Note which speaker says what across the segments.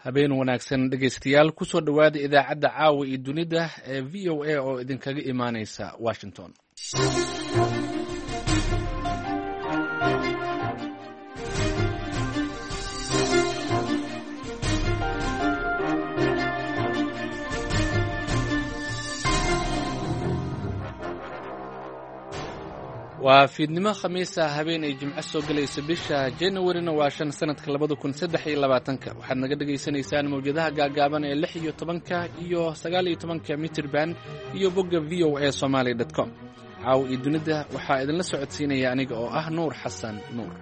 Speaker 1: Habeen wanaagsan dhegaystayaal, kusoo dhowaada idaacadda caawa iyo dunida ee VOA oo idinkaga imaaneysa Washington. Waa fiidnimo Khamiisa, habeen ay Jimco soo gelayso, bisha Januarina waa 5, sanadka 2023-ka. Waxaad naga dhagaysanaysaan mawjadaha gaagaaban ee 16-ka iyo 19-ka mitirban iyo bogga VOA Somaly com. Caawa iyo dunida waxaa idinla socodsiinaya aniga oo ah Nuur Xasan Nuur.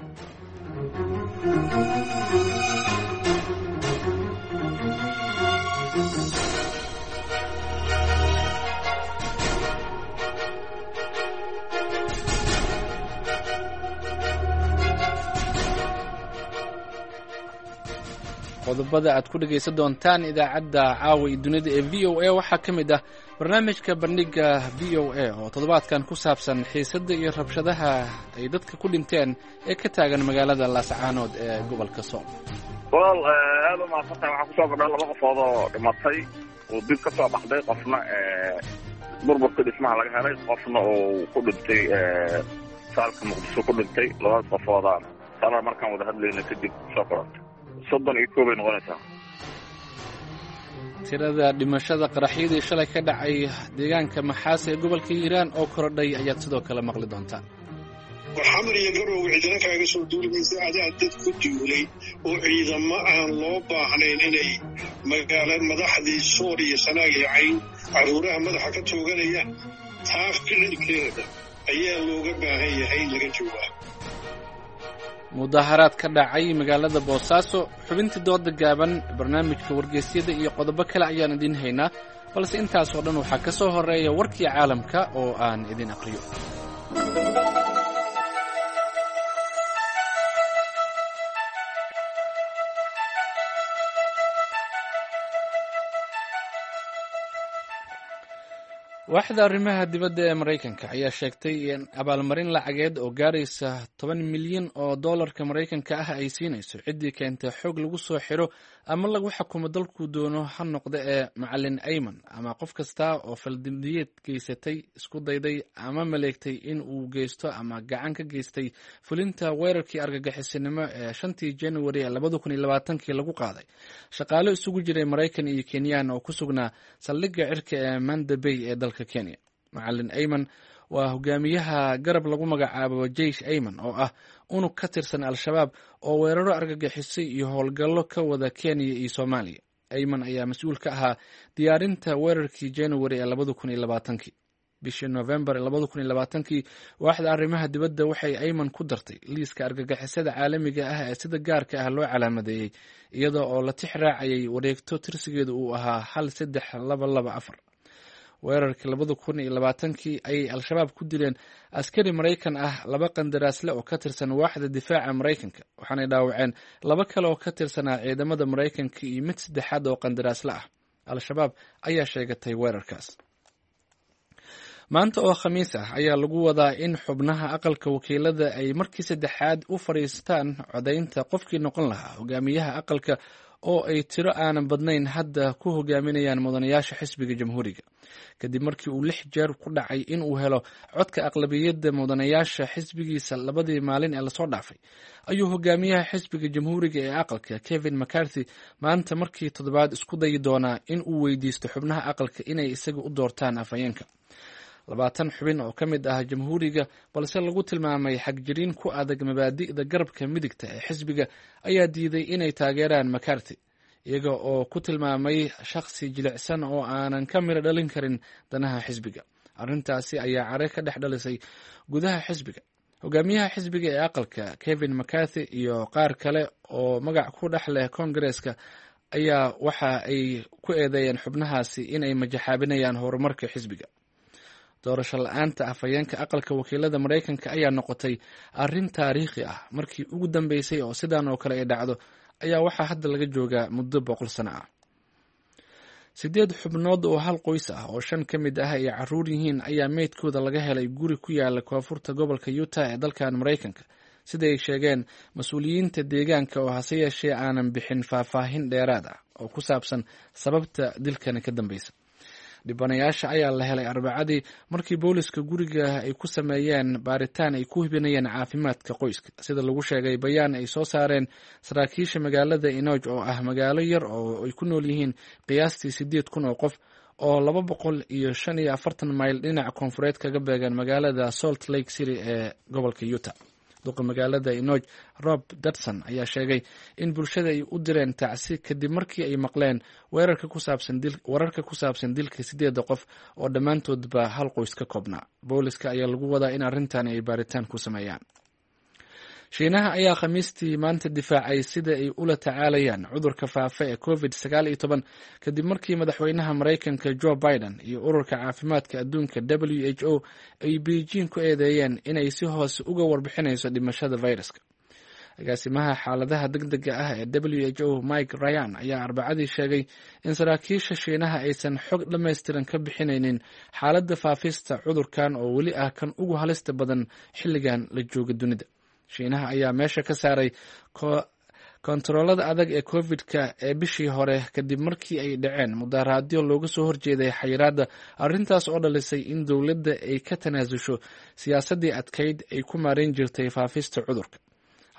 Speaker 1: Qodobada aad ku dhegaysan doontaan idaacadda caawa iyo dunida ee VOA waxaa ka mid ah barnaamijka bandhiga VOA oo toddobaadkan ku saabsan xiisadda iyo rabshadaha ay dadka ku dhinteen ee ka taagan magaalada Laascaanood ee gobolka Sool.
Speaker 2: Walaal, aada u mahadsantahay. Waxaa kusoo kordha laba qofood oo dhimatay oo dib ka soo baxday, qofna burburka dhismaha laga helay, qofna uu ku dhintay saalka Muqdisho ku dhintay. Labadaas qofooda sala markaan wada hadlayna kadib soo korortay 31 bay noqonaysaa.
Speaker 1: Tirada dhimashada qaraxyadii shalay ka dhacay deegaanka Maxaas ee gobolka Hiiraan oo korodhay ayaad sidoo kale maqli doontaan.
Speaker 3: Xamar iyo Garowe cidina kaaga soo duulimaysa. Adaa dad ku duulay oo ciidamo aan loo baahnayn inay magaala madaxdii Soor iyo Sanaag iyo Cayn carruuraha madaxa ka tooganayaan. Taa ficilkeeda ayaa looga baahan yahay in laga jawaabo.
Speaker 1: Mudaharaad ka dhacay magaalada Boosaaso, xubintii dooda gaaban, barnaamijka wargeysyada iyo qodobo kale ayaan idiin haynaa, balse intaasoo dhan waxaa ka soo horreeya warkii caalamka oo aan idin aqriyo. Waaxda arrimaha dibadda ee Maraykanka ayaa sheegtay in abaalmarin lacageed oo gaaraysa 10 milyan oo doolarka Maraykanka ah ay siinayso ciddii keentay xog lagu soo xiro ama lagu xukumo dalkuu doono ha noqda ee Macalin Ayman ama qof kasta oo faldambiyeed geysatay, isku dayday ama maleegtay in uu geysto ama gacan ka geystay fulinta weerarkii argagixisinimo ee 5-tii Januari ee 2020-kii lagu qaaday shaqaalo isugu jiray Maraykan iyo Kenyan oo ku sugnaa saldhigga cirka ee Manda Bay ee dalka Kenya. Macalin Ayman waa hogaamiyaha garab lagu magacaabo Jeish Ayman oo ah unug ka tirsan Al-Shabaab oo weeraro argagixisay iyo howlgallo ka wada Kenya iyo Soomaaliya. Ayman ayaa mas-uul ka ahaa diyaarinta weerarkii Januari ee 2020-kii. Bishii Novembar 2020-kii, waaxda arrimaha dibadda waxay Ayman ku dartay liiska argagixisada caalamiga ah ee sida gaarka ah loo calaamadeeyey, iyada oo la tix raacayay wareegto tirsigeedu uu ahaa 13224. Weerarkii 2020-kii ayay Al-Shabaab ku dileen askari Maraykan ah, laba qandaraasle oo ka tirsan waaxda difaaca Maraykanka, waxaanay dhaawaceen laba kale oo ka tirsanaa ciidamada Maraykanka iyo mid saddexaad oo qandaraasle ah. Al-Shabaab ayaa sheegatay weerarkaas. Maanta oo Khamiis ah ayaa lagu wadaa in xubnaha aqalka wakiilada ay markii saddexaad u fadhiistaan codaynta qofkii noqon lahaa hogaamiyaha aqalka, oo ay tiro aanan badnayn hadda ku hogaaminayaan mudanayaasha xisbiga Jamhuuriga, kadib markii uu lix jeer ku dhacay in uu helo codka aqlabiyadda mudanayaasha xisbigiisa labadii maalin ee lasoo dhaafay. Ayuu hogaamiyaha xisbiga Jamhuuriga ee aqalka Kevin McCarthy maanta markii toddobaad isku dayi doonaa in uu weydiisto xubnaha aqalka inay isaga u doortaan afhayeenka. 20 xubin oo ka mid ah Jamhuuriga, balse lagu tilmaamay xagjiriin ku adag mabaadi'da garabka midigta ee xisbiga, ayaa diiday inay taageeraan McCarthy, iyaga oo ku tilmaamay shakhsi jilicsan oo aanan ka miro dhalin karin danaha xisbiga. Arrintaasi ayaa care ka dhex dhalisay gudaha xisbiga. Hogaamiyaha xisbiga ee aqalka Kevin McCarthy iyo qaar kale oo magac ku dhex leh Koongareeska ayaa waxa ay ku eedeeyeen xubnahaasi inay majaxaabinayaan horumarka xisbiga. Doorasho la-aanta afhayeenka aqalka wakiilada Maraykanka ayaa noqotay arrin taariikhi ah. Markii ugu dambeysay oo sidan oo kale ay dhacdo ayaa waxaa hadda laga joogaa muddo 100 sano ah. Sideed xubnood oo hal qoys ah oo shan ka mid ah ay caruur yihiin ayaa meydkooda laga helay guri ku yaala koonfurta gobolka Utah ee dalkan Maraykanka, Sida ay sheegeen mas-uuliyiinta deegaanka oo hase yeeshee aanan bixin faahfaahin dheeraad ah oo ku saabsan sababta dilkani ka dambeysa. Dhibanayaasha ayaa la helay Arbacadii markii booliska guriga ay ku sameeyeen baaritaan ay ku hubinayeen caafimaadka qoyska, sida lagu sheegay bayaan ay soo saareen saraakiisha magaalada Inoj oo ah magaalo yar oo ay ku nool yihiin qiyaastii 8000 oo qof oo 245 mayl dhinaca koonfureed kaga beegan magaalada Salt Lake City ee gobolka Utah. Duqa magaalada Inoj Rob Dodson ayaa sheegay in bulshada ay u direen tacsi kadib markii ay maqleen wararka ku saabsan dilka 8da qof oo dhammaantoodba hal qoys ka koobnaa. Booliska ayaa lagu wadaa in arrintan ay baaritaan ku sameeyaan. Shiinaha ayaa Khamiistii maanta difaacay sida ay ula tacaalayaan cudurka faafa ee Covid 19 kadib markii madaxweynaha Maraykanka Joe Biden iyo ururka caafimaadka adduunka WHO ay Beijing ku eedeeyeen inay si hoose uga warbixinayso dhimashada fayraska. Agaasimaha xaaladaha degdega ah ee WHO Mike Ryan ayaa Arbacadii sheegay in saraakiisha Shiinaha aysan xog dhammaystiran ka bixinaynin xaaladda faafista cudurkan oo weli ah kan ugu halista badan xilligan la jooga dunida. Shiinaha ayaa meesha ka saaray kontaroolada adag ee Covid-ka ee bishii hore kadib markii ay dhaceen mudaharaadyo looga soo horjeeday xayiraadda, arrintaas oo dhalisay in dowladda ay ka tanaasusho siyaasaddii adkayd ay ku maareyn jirtay faafista cudurka.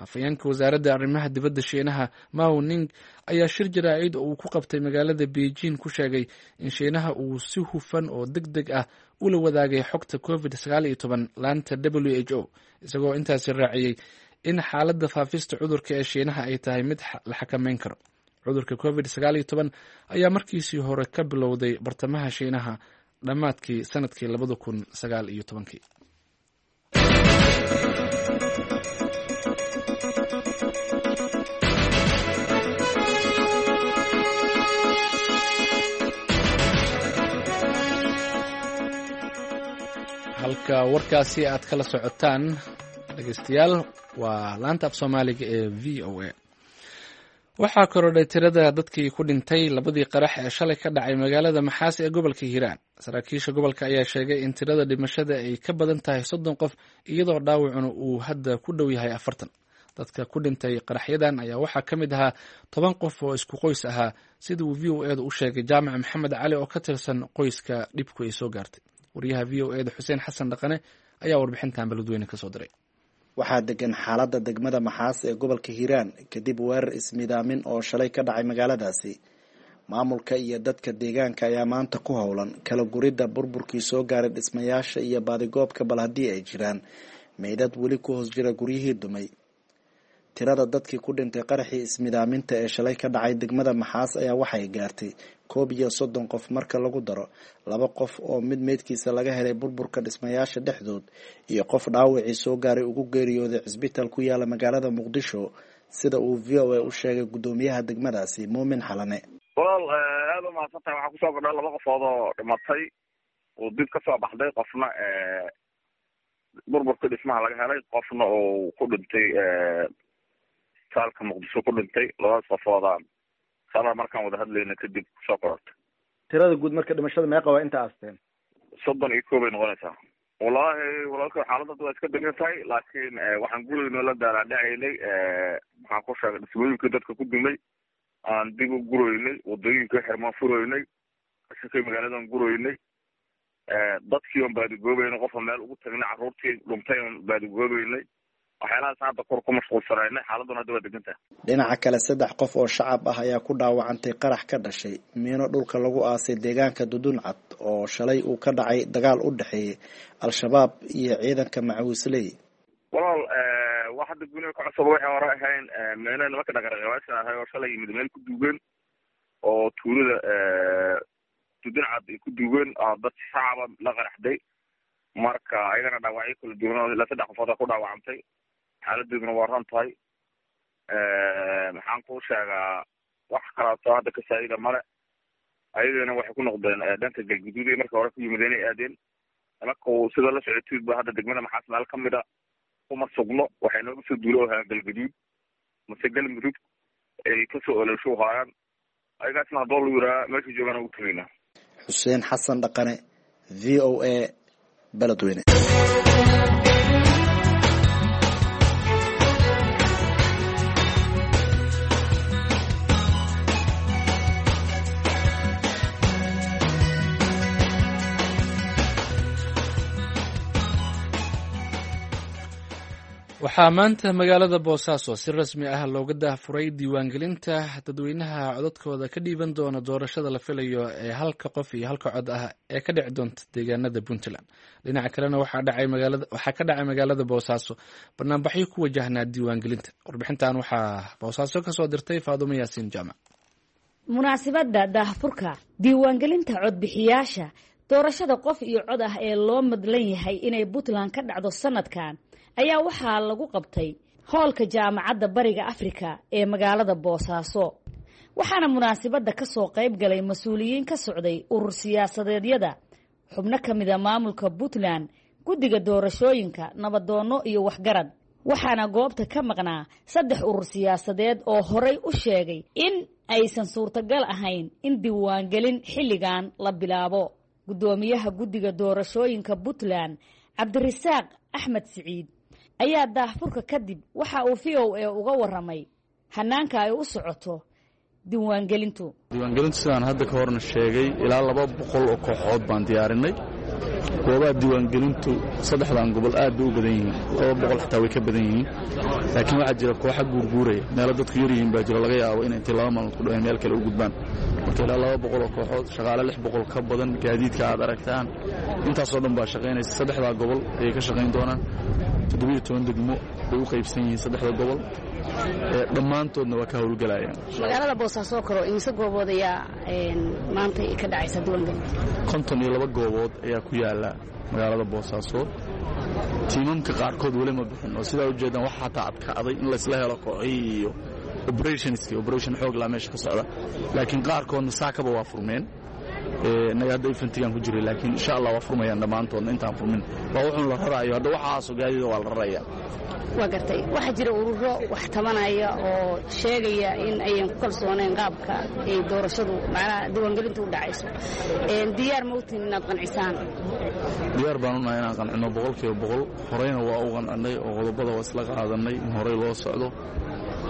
Speaker 1: Hafayeenka wasaaradda arrimaha dibadda Shiinaha Mao Ning ayaa shir jaraa'id oo uu ku qabtay magaalada Beijing ku sheegay in Shiinaha uu si hufan oo deg deg ah ula wadaagay xogta Covid 19 laanta WHO, isagoo intaasi raaciyey in xaaladda faafista cudurka ee Shiinaha ay tahay mid la xakameyn karo. Cudurka Covid 19 ayaa markiisii hore ka bilowday bartamaha Shiinaha dhammaadkii sanadkii 2019-kii. Halka warkaasi aad kala socotaan, dhegeystayaal, waa laanta af Soomaaliga ee VOA. Waxaa korodhay tirada dadkii ku dhintay labadii qarax ee shalay ka dhacay magaalada Maxaas ee gobolka Hiiraan. Saraakiisha gobolka ayaa sheegay in tirada dhimashada ay ka badan tahay 30 qof, iyadoo dhaawacuna uu hadda ku dhow yahay 40. Dadka ku dhintay qaraxyadan ayaa waxaa ka mid ahaa 10 qof oo isku qoys ahaa, sida uu VOA da u sheegay Jaamac Maxamed Cali oo ka tirsan qoyska dhibku ay soo gaartay. Wariyaha VOA da Xuseen Xasan Dhaqane ayaa warbixintan Beledweyne kasoo diray.
Speaker 4: Waxaa degan xaaladda degmada Maxaas ee gobolka Hiiraan kadib weerar ismidaamin oo shalay ka dhacay magaaladaasi. Maamulka iyo dadka deegaanka ayaa maanta ku howlan kala guridda burburkii soo gaaray dhismayaasha iyo baadigoobka bal haddii ay jiraan meydad weli ku hoos jira guryihii dumay. Tirada dadkii ku dhintay qaraxii ismidaaminta ee shalay ka dhacay degmada Maxaas ayaa waxay gaartay 31 qof marka lagu daro 2 qof oo mid meydkiisa laga helay burburka dhismayaasha dhexdood iyo qof dhaawacii soo gaaray ugu geeriyooday cisbitaal ku yaala magaalada Muqdisho, sida uu VOA u sheegay guddoomiyaha degmadaasi Muumin Xalane.
Speaker 2: Walaal, aada u mahadsan tahay. Waxaa kusoo kordhay laba qofood oo dhimatay oo dib kasoo baxday, qofna burburka dhismaha laga helay, qofna uu ku dhintay saalka Muqdisho ku dhintay. Labadaas qofoodaan sala markaan wada hadlayna kadib kusoo qorortay.
Speaker 5: Tirada guud marka dhimashada meeqa waa inta aasteen?
Speaker 2: 31 bay noqonaysaa. Wallaahi walaalka, xaaladda hadda waa iska degan tahay, laakiin waxaan gurayno la daalaadhacaynay, maxaan ku sheegay, dhismooyinkii dadka ku dumay aan dib u guroynay, wadooyinka xirmaan furoynay, qashinkii magaaladan guroynay, dadkii oon baadigoobeynay, qofa meel ugu tagnay, carruurtii dhuntay oon baadigoobeynay, waxyaalahaas hadda kor ku mashquulsanaynay. Xaaladuna hadda waa degan tahay.
Speaker 4: Dhinaca kale, 3 qof oo shacab ah ayaa ku dhaawacantay qarax ka dhashay miino dhulka lagu aasay deegaanka Duduncad oo shalay uu ka dhacay dagaal u dhexeeyay Al-Shabaab iyo ciidanka Macawisley.
Speaker 2: Walaal, wax hadda guniga ka cusub waxay hore ahayn meelo nimanka dhaqaraqabaasha ahay oo shalay yimid meel ku duugeen oo tuulada Duduncad ay ku duugeen dad shacaba la qaraxday. Marka ayagana dhaawacyo kala duwan oo ilaa 3 qofood ku dhaawacantay, xaaladeeduna waa ran tahay. Maxaan kuu sheegaa, wax kalaatoo hadda ka saa'ida male. Ayagana waxay ku noqdeen dhanka Galguduud ay marka hore ku yimid inay aadeen. Nimanka sida la socotiid ba hadda degmada Maxaas meel kamid a kuma sugno, waxay nooga soo duulo ahaan Galguduud mase Galmudug ay kasoo ololsho haayaan. Ayagaasna haddoo lu yiraa meesha joogaan ugu tegaynaa.
Speaker 4: Xuseen Xasan Dhaqane, VOA, Beledweyne.
Speaker 1: Waxaa maanta magaalada Boosaaso si rasmi ah looga daahfuray diiwaangelinta dadweynaha codadkooda ka dhiiban doona doorashada la filayo ee halka qof iyo halka cod ah ee ka dhici doonta deegaanada Puntland. Dhinaca kalena waxaa ka dhacay magaalada Boosaaso banaanbaxyo ku wajahnaa diiwaangelinta. Warbixintan waxaa Boosaaso kasoo dirtay Faadumo Yaasiin Jaamac.
Speaker 6: Munaasabadda daahfurka diiwaangelinta codbixiyaasha doorashada qof iyo cod ah ee loo madlan yahay inay Puntland ka dhacdo sanadkan ayaa waxaa lagu qabtay hoolka Jaamacadda Bariga Afrika ee magaalada Boosaaso, waxaana munaasabadda ka soo qayb galay mas-uuliyiin ka socday urur siyaasadeedyada, xubno ka mida maamulka Puntland, guddiga doorashooyinka, nabadoonno iyo waxgarad. Waxaana goobta ka maqnaa 3 urur siyaasadeed oo horey u sheegay in aysan suurtagal ahayn in diiwaangelin xilligan la bilaabo. Guddoomiyaha guddiga doorashooyinka Puntland, Cabdirasaaq Axmed Siciid, ayaa daahfurka kadib waxa uu VOA uga waramay hanaanka ay u socoto diiwaangelintu.
Speaker 7: Diiwaangelintu sidaan hadda ka horna sheegay, ilaa 200 oo kooxood baan diyaarinay. Goobaha diiwaangelintu saddexdan gobol aad bay u badan yihiin, 200 xataa way ka badan yihiin, laakiin waxaa jira kooxa guurguuraya, meelo dadku yar yihiin baa jiro, laga yaabo inay intay 2 maalmood ku dhaween meel kale u gudbaan. Marka ilaa 200 oo kooxood, shaqaale 600 ka badan, gaadiidka aad aragtaan intaasoo dhan baa shaqaynaysa. Saddexdaa gobol ayay ka shaqayn doonaan. 17 degmo bay u qaybsan yihiin saddexda gobol, dhammaantoodna waa ka howlgelayaan.
Speaker 8: Magaalada Boosaaso kalo imise goobood ayaa maanta ka dhacaysa diiwaangelinta?
Speaker 7: 52 goobood ayaa ku yaala magaalada Boosaaso. Tiimamka qaarkood weli ma bixin, oo sidaa ujeedaan waxa xataa adkaaday in laysla helo kooxihii iyo operationski, operation xoog laa meesha ka socda, laakiin qaarkoodna saakaba waa furmeen. Innaga hadda infantigan ku jiray, laakiin insha Allah waa furmayaan dhammaantoodna. Intaan furmin waa wuxuun la raraayo hadda, waxaasoo gaadiida waa la raraya.
Speaker 8: Waa gartay. Waxaa jira ururo wax tabanaya oo sheegaya in ayan ku kalsoonayn qaabka ay doorashadu, macnaha diiwaangelintu u dhacayso. Diyaar ma utiin inaad qancisaan?
Speaker 7: Diyaar baan unahay inaan qancinno 100%. Horeyna waa u qancinay oo qodobada waa isla qaadanay in horey loo socdo.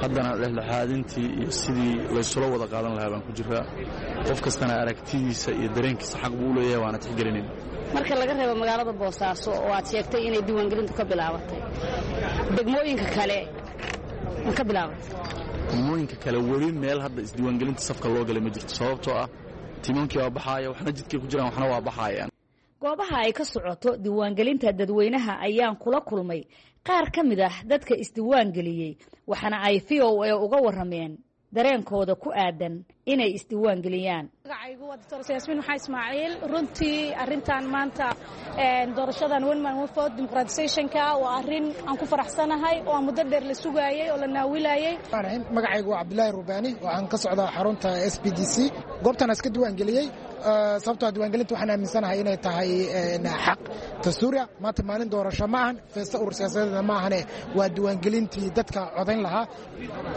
Speaker 7: Haddana dhexdhexaadintii iyo sidii laysula wada qaadan lahaa baan ku jiraa. Qof kastana aragtidiisa iyo dareenkiisa xaq buu u leeyahay, waana tixgelinayna.
Speaker 8: Marka laga reebo magaalada Boosaaso oo aad sheegtay inay diiwaangelintu ka bilaabatay, degmooyinka kale ma ka bilaabatay?
Speaker 7: Degmooyinka kale weli meel hadda isdiiwaangelinta safka loo galay ma jirto, sababtoo ah tiimamkii waa baxaaya, waxna jidkay ku jiraan, waxna waa baxaayaan.
Speaker 6: Goobaha ay ka socoto diiwaangelinta dadweynaha ayaan kula kulmay qaar ka mid ah dadka isdiiwaangeliyey, waxaana ay VOA uga warrameen dareenkooda ku aadan inay isdiiwaangeliyaan.
Speaker 9: Magacaygu waa Doctor Yaasmiin Maxaa Ismaaciil. Runtii arrintan maanta doorashadan one man one vote democratizationka waa arrin aan ku faraxsanahay oo aan muddo dheer la sugaayay oo la naawilayay.
Speaker 10: Magacaygu waa Cabdulaahi Rubaani, waxaan ka socdaa xarunta SPDC. Goobtan iska diiwaangeliyey sababtoo diiwaangelinta waxaan aaminsanahay inay tahay xaq dastuuriya. Maanta maalin doorasho ma ahan, feesta urur siyaasadeedna ma ahane, waa diiwaangelintii dadka codayn lahaa.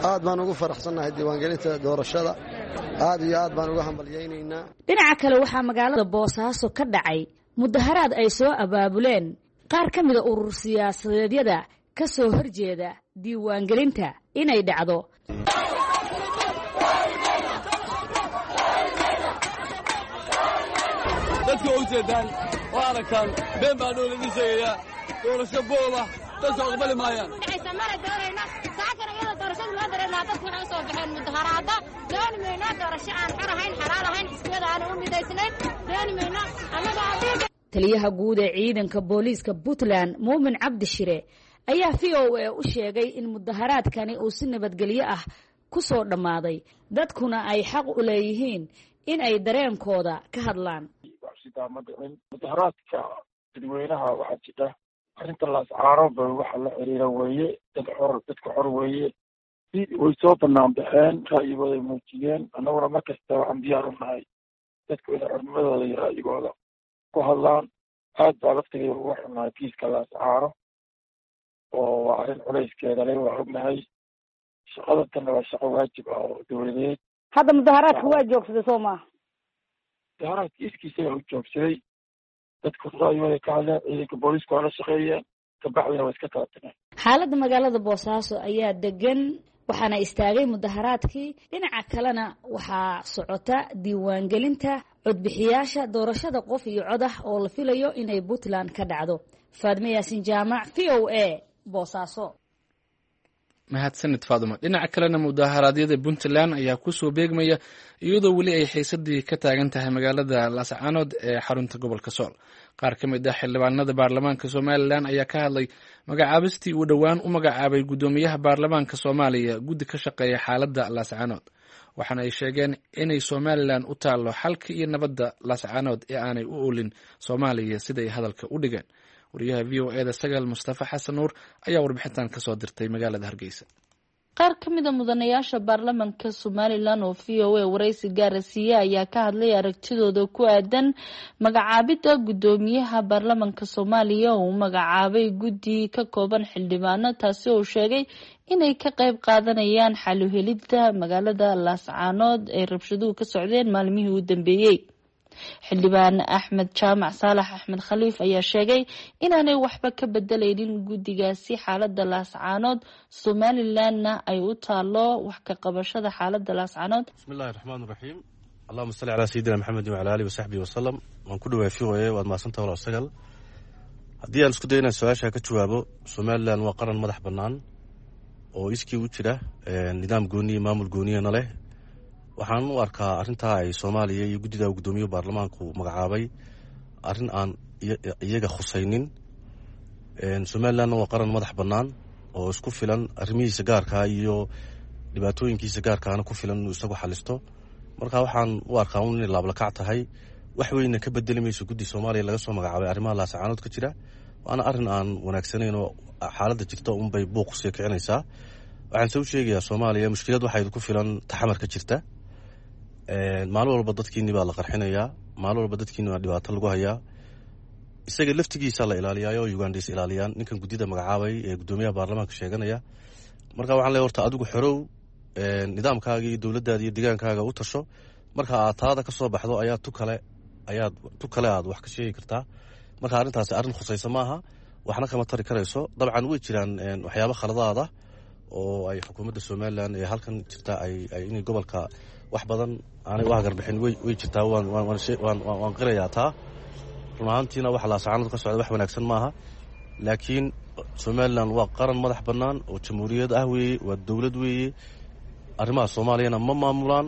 Speaker 11: Aad baan ugu faraxsannahay diiwaangelinta doorashada, aad iyo aad baan uga hambalyaynaynaa.
Speaker 6: Dhinaca kale waxaa magaalada Boosaaso ka dhacay mudaharaad ay soo abaabuleen qaar ka mida urur siyaasadeedyada ka soo horjeeda diiwaangelinta inay dhacdo.
Speaker 12: Dadka u jeedaan oo aragtaan been baa dhow laidin sheegayaa, doorasho booba dadka aqbali maayaan.
Speaker 13: Mana doonayno saakana iyadoo doorashada loo dareernaa, dadku waxay u soo baxeen mudaharaada. Dooni mayno doorasho aan xor ahayn, xalaal ahayn, xisbiyada aan u midaysnayn, dooni mayno annaga.
Speaker 6: Taliyaha guud ee ciidanka booliiska Puntland, Muumin Cabdi Shire, ayaa VOA u sheegay in mudaharaadkani uu si nabadgelyo ah ku soo dhammaaday, dadkuna ay xaq u leeyihiin in ay dareenkooda ka hadlaan.
Speaker 14: Ma dhicin mudaharaadka dadweynaha. Waxaa jira arrinta Laascaanoba waxa la xiriira weeye, dad xor, dadka xor weeye, way soo banaan baxeen, ra'yigooday muujiyeen. Annaguna mar kasta waxaan diyaar u nahay dadku inay xornimadooda iyo ra'yigooda ku hadlaan. Aad baa laftigay uga xunnahay kiiska Laascaano, oo waa arrin culayskeeda le, waa ognahay. Shaqada tanna waa shaqo waajib ah oo dowladeed.
Speaker 8: Hadda mudaharaadka waa joogsaday soo maaha?
Speaker 14: Mudaharaadka iskiisa u joogsaday, dadku ra'yigooda ka hadleen, ciidanka booliisku waa la shaqeeyeen, kabacdina waa iska kala tageen.
Speaker 6: Xaaladda magaalada Boosaaso ayaa degan, waxaana istaagay mudaharaadkii. Dhinaca kalena waxaa socota diiwaangelinta codbixiyaasha doorashada qof iyo cod ah oo la filayo inay Puntland ka dhacdo. Faadme Yaasin Jaamac, VOA, Boosaaso.
Speaker 1: Mahadsanid Faaduma. Dhinaca kalena, mudaharaadyada Puntland ayaa kusoo beegmaya iyadoo weli ay xiisadii ka taagan tahay magaalada Laascaanood ee xarunta gobolka Sool. Qaar ka mid ah xildhibaanada baarlamaanka Somalilan ayaa ka hadlay magacaabistii uu dhowaan u magacaabay guddoomiyaha baarlamaanka Soomaaliya guddi ka shaqeeya xaaladda Laascaanood, waxaana ay sheegeen inay Somalilan u taallo xalka iyo nabadda Laascaanood ee aanay u oolin Soomaaliya, siday hadalka u dhigeen. Wariyaha VOA-da Sagaal Mustafa Xasan Nuur ayaa warbixintan kasoo dirtay magaalada Hargeysa.
Speaker 15: Qaar ka mid a mudanayaasha baarlamanka Somalilan oo VOA waraysi gaara siiye ayaa ka hadlay aragtidooda ku aadan magacaabidda guddoomiyaha baarlamanka Soomaaliya oo uu magacaabay guddi ka kooban xildhibaano, taasi oo sheegay inay ka qeyb qaadanayaan xaluhelidda magaalada Laascaanood ee rabshaduhu ka socdeen maalmihii u dambeeyey. Xildhibaan Axmed Jaamac Saalax Axmed Khaliif ayaa sheegay inaanay waxba ka bedelaynin guddigaasi xaalada Laascaanood, Somalilanna ay u taalo wax ka qabashada xaalada Laascaanood.
Speaker 16: Bismillahi raxmaan raxiim, allahuma salli calaa sayidina Maxamedin wacala alihi wasaxbihi wasalam. Waan ku dhawaay VOA, waad mahadsantaha walaal Sagal. Haddii aan isku dayo inaan su-aasha ka jawaabo, Somalilan waa qaran madax bannaan oo iskii u jira, nidaam gooniya, maamul gooniyana leh. Waxaan u arkaa arrintaa ay Soomaaliya iyo guddida guddoomiye baarlamaanku magacaabay arrin aan iyaga khusaynin. Somalilandna waa qaran madax bannaan oo isku filan, arrimihiisa gaarkaa iyo dhibaatooyinkiisa gaarkaana ku filan inuu isagu xalisto. Marka waxaan u arkaa un inay laablakac tahay, wax weyna ka bedeli mayso guddi Soomaaliya laga soo magacaabay arrimaha Laasacaanood ka jira, waana arrin aan wanaagsanayn oo xaaladda jirta unbay buuq sii kicinaysaa. Waxaan se u sheegayaa Soomaaliya, mushkilad waxay ku filan taxamar ka jirta. Maalin walba dadkiini baa la qarxinayaa, maalin walba dadkiini baa dhibaato lagu hayaa. Isaga laftigiisa la ilaaliyaayo, Ugandais ilaaliyaan ninkan guddida magacaabay ee guddoomiyaha baarlamaanka sheeganaya. Marka waxaan leeyahay, horta adigu xorow, nidaamkaaga iyo dowladdaada iyo deegaankaaga u tasho. Marka aad taada ka soo baxdo ayaa tu kale ayaad tu kale aad wax ka sheegi kartaa. Marka arrintaasi arrin khusaysa maaha, waxna kama tari karayso. Dabcan way jiraan waxyaabo khaladaada oo ay xukuumadda Somalilan ee halkan jirta ay inay gobolka wax badan aanay u hagarbixin, way jirtaa, waan qirayaa taa. Run ahaantiina waxa Laasacaanood ka socda wax wanaagsan maaha, laakiin Somalilan waa qaran madax bannaan oo jamhuuriyad ah weeye, waa dowlad weeye. Arrimaha Soomaaliyana ma maamulaan,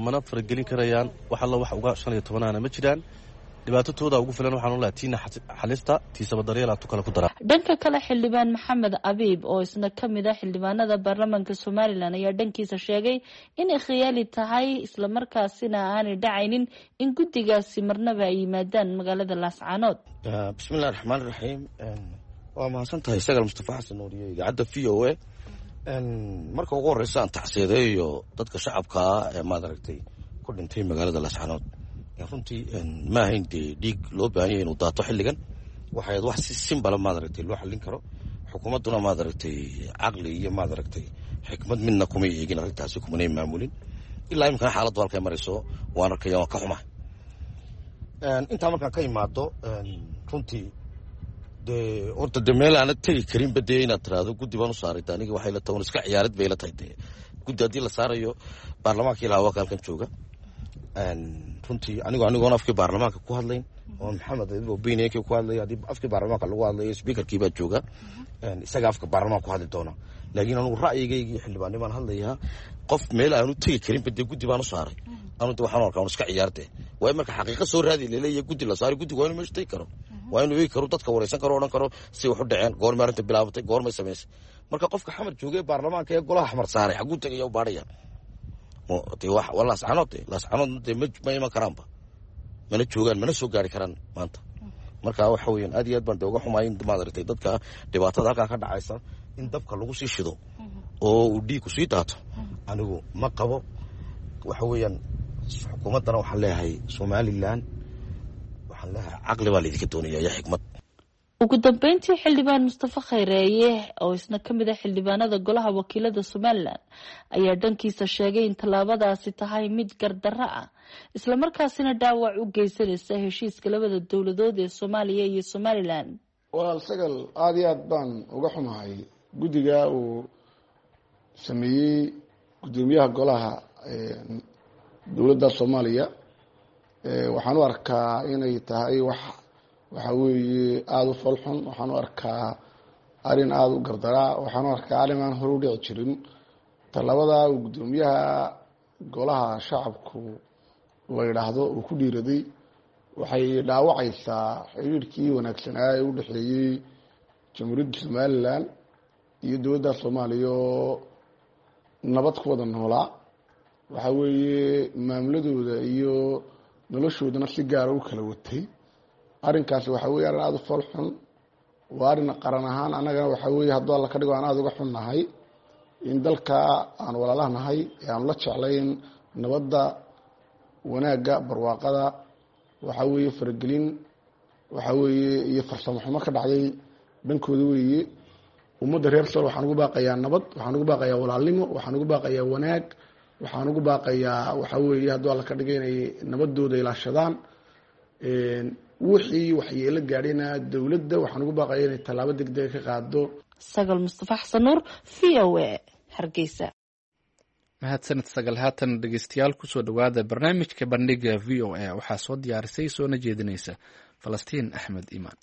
Speaker 16: mana faragelin karayaan. Wax alla wax uga 15aana ma jiraan, dhibaatatooda ugu filan. Waxaan olaha tiina xalista tiisaba daryeelaa tu kale ku daraa.
Speaker 15: Dhanka kale, xildhibaan Maxamed Abiib oo isna ka mid ah xildhibaanada baarlamaanka Somalilan ayaa dhankiisa sheegay inay khiyaali tahay, islamarkaasina aanay dhacaynin in guddigaasi marnaba ay yimaadaan magaalada Laascaanood.
Speaker 17: Bismillahi raxmaan raxiim. Waa mahadsan tahay Sagal Mustafa Xasan Nuuriye, idaacadda VOA. Marka ugu horeysa aan tacsiyadeeyo dadka shacabkaa ee maad aragtay ku dhintay magaalada Laascaanood. Runtii ma ahayn dee dhiig loo baahan yahay inuu daato xilligan. Waxay ahayd wax si simbala maad aragtay loo xallin karo. Xukuumadduna maad aragtay caqli iyo maad aragtay xikmad midna kumay eegin arrintaasi, kumanay maamulin. Ilaa iminkana xaaladdu halkay marayso waan arkaya, waan ka xumahay. Intaa markaan ka imaado, runtii dee horta dee meel aana tegi karinba dee inaad tiraahdo guddi baan u saaray, aniga waxay la tahay un iska ciyaarid bay la tahay. Dee guddi haddii la saarayo, baarlamaanka ilaa waa halkan jooga. Runtii anigoon afkii baarlamaanka ku hadlayn oo Maxamed opinionkii ku hadlayo, haddii afkii baarlamaanka lagu hadlayo speakerkii baa jooga, isaga afka baarlamaanka ku hadli doona. Laakiin anugu ra'yigaygii xildhibaanimaan hadlayaa. Qof meel aanu tegi karinba dee guddi baan u saaray, anu de waxaan arkaa un iska ciyaarte. Waayo marka xaqiiqa soo raadi laleeyahay guddi la saaray, guddigu waa inuu meesha tegi karo, waa inuu eegi karo, dadka wareysan karo, odhan karo si wax u dhaceen, goormay arrinta bilaabatay, goormay samaysay. Marka qofka Xamar joogay baarlamaanka ee golaha Xamar saaray xaguu tegaya u baadhaya? Waa Laascanood, de Laascanoodna dee ma iman karaanba, mana joogaan, mana soo gaari karaan maanta. Marka waxa weeyaan aad iyo aad baan de uga xumaay in maad aragtay dadka dhibaatada halkaa ka dhacaysa in dabka lagu sii shido oo uu dhiigku sii daato. Anigu ma qabo. Waxa weeyaan xukuumaddana waxaan leeyahay, Somalilan waxaan leeyahay, caqli baa laydinka doonaya iyo xikmad.
Speaker 15: Ugu dambeyntii, xildhibaan Mustafa Khayreeye oo isna ka mid ah xildhibaanada golaha wakiilada Somalilan ayaa dhankiisa sheegay in tallaabadaasi tahay mid gardarro ah, islamarkaasina dhaawac u geysanaysa heshiiska labada dowladood ee Soomaaliya iyo Somalilan.
Speaker 18: Walaal Sagal, aada iyo aad baan uga xumahay guddiga uu sameeyey guddoomiyaha golaha dowladda Soomaaliya. Waxaan u arkaa inay tahay wax waxa weeye aada u foolxun. Waxaan u arkaa Arrin aada u gardaraa waxaan u arkaa arrin aan hore u dhici jirin. Tallaabada uu guddoomiyaha golaha shacabku la yidhaahdo uu ku dhiiraday waxay dhaawacaysaa xiriirkii wanaagsanaa ee u dhexeeyey Jamhuuriyadda Somalilan iyo dowladda Soomaaliya oo nabad ku wada noolaa. Waxa weeye maamuladooda iyo noloshoodana si gaara u kala watay. Arrinkaasi waxa weye arrin aada u fool xun, waa arrin qaran ahaan annagana waxa weeye hadduu Alla ka dhigo aan aada uga xunnahay in dalka aan walaalaha nahay ee aanu la jeclayn nabadda, wanaagga, barwaaqada, waxa weeye faragelin waxa weeye iyo farsamo xumo ka dhacday dhankooda weeye. Ummadda reer Sool waxaan ugu baaqayaa nabad, waxaan ugu baaqayaa walaalnimo, waxaan ugu baaqayaa wanaag, waxaan ugu baaqayaa waxa weeye hadduu Alla ka dhigay inay nabadooda ilaashadaan. Wixii waxyeelo gaadhayna dowladda waxaan ugu baaqayaa inay tallaabo degdega ka qaado.
Speaker 15: Sagal Mustafa Xasan Nuur, VOA, Hargeysa.
Speaker 1: Mahadsanid Sagal. Haatan dhegeystayaal kusoo dhowaada barnaamijka Bandhiga VOA. Waxaa soo diyaarisay soona jeedinaysa Falastiin Axmed Iimaan.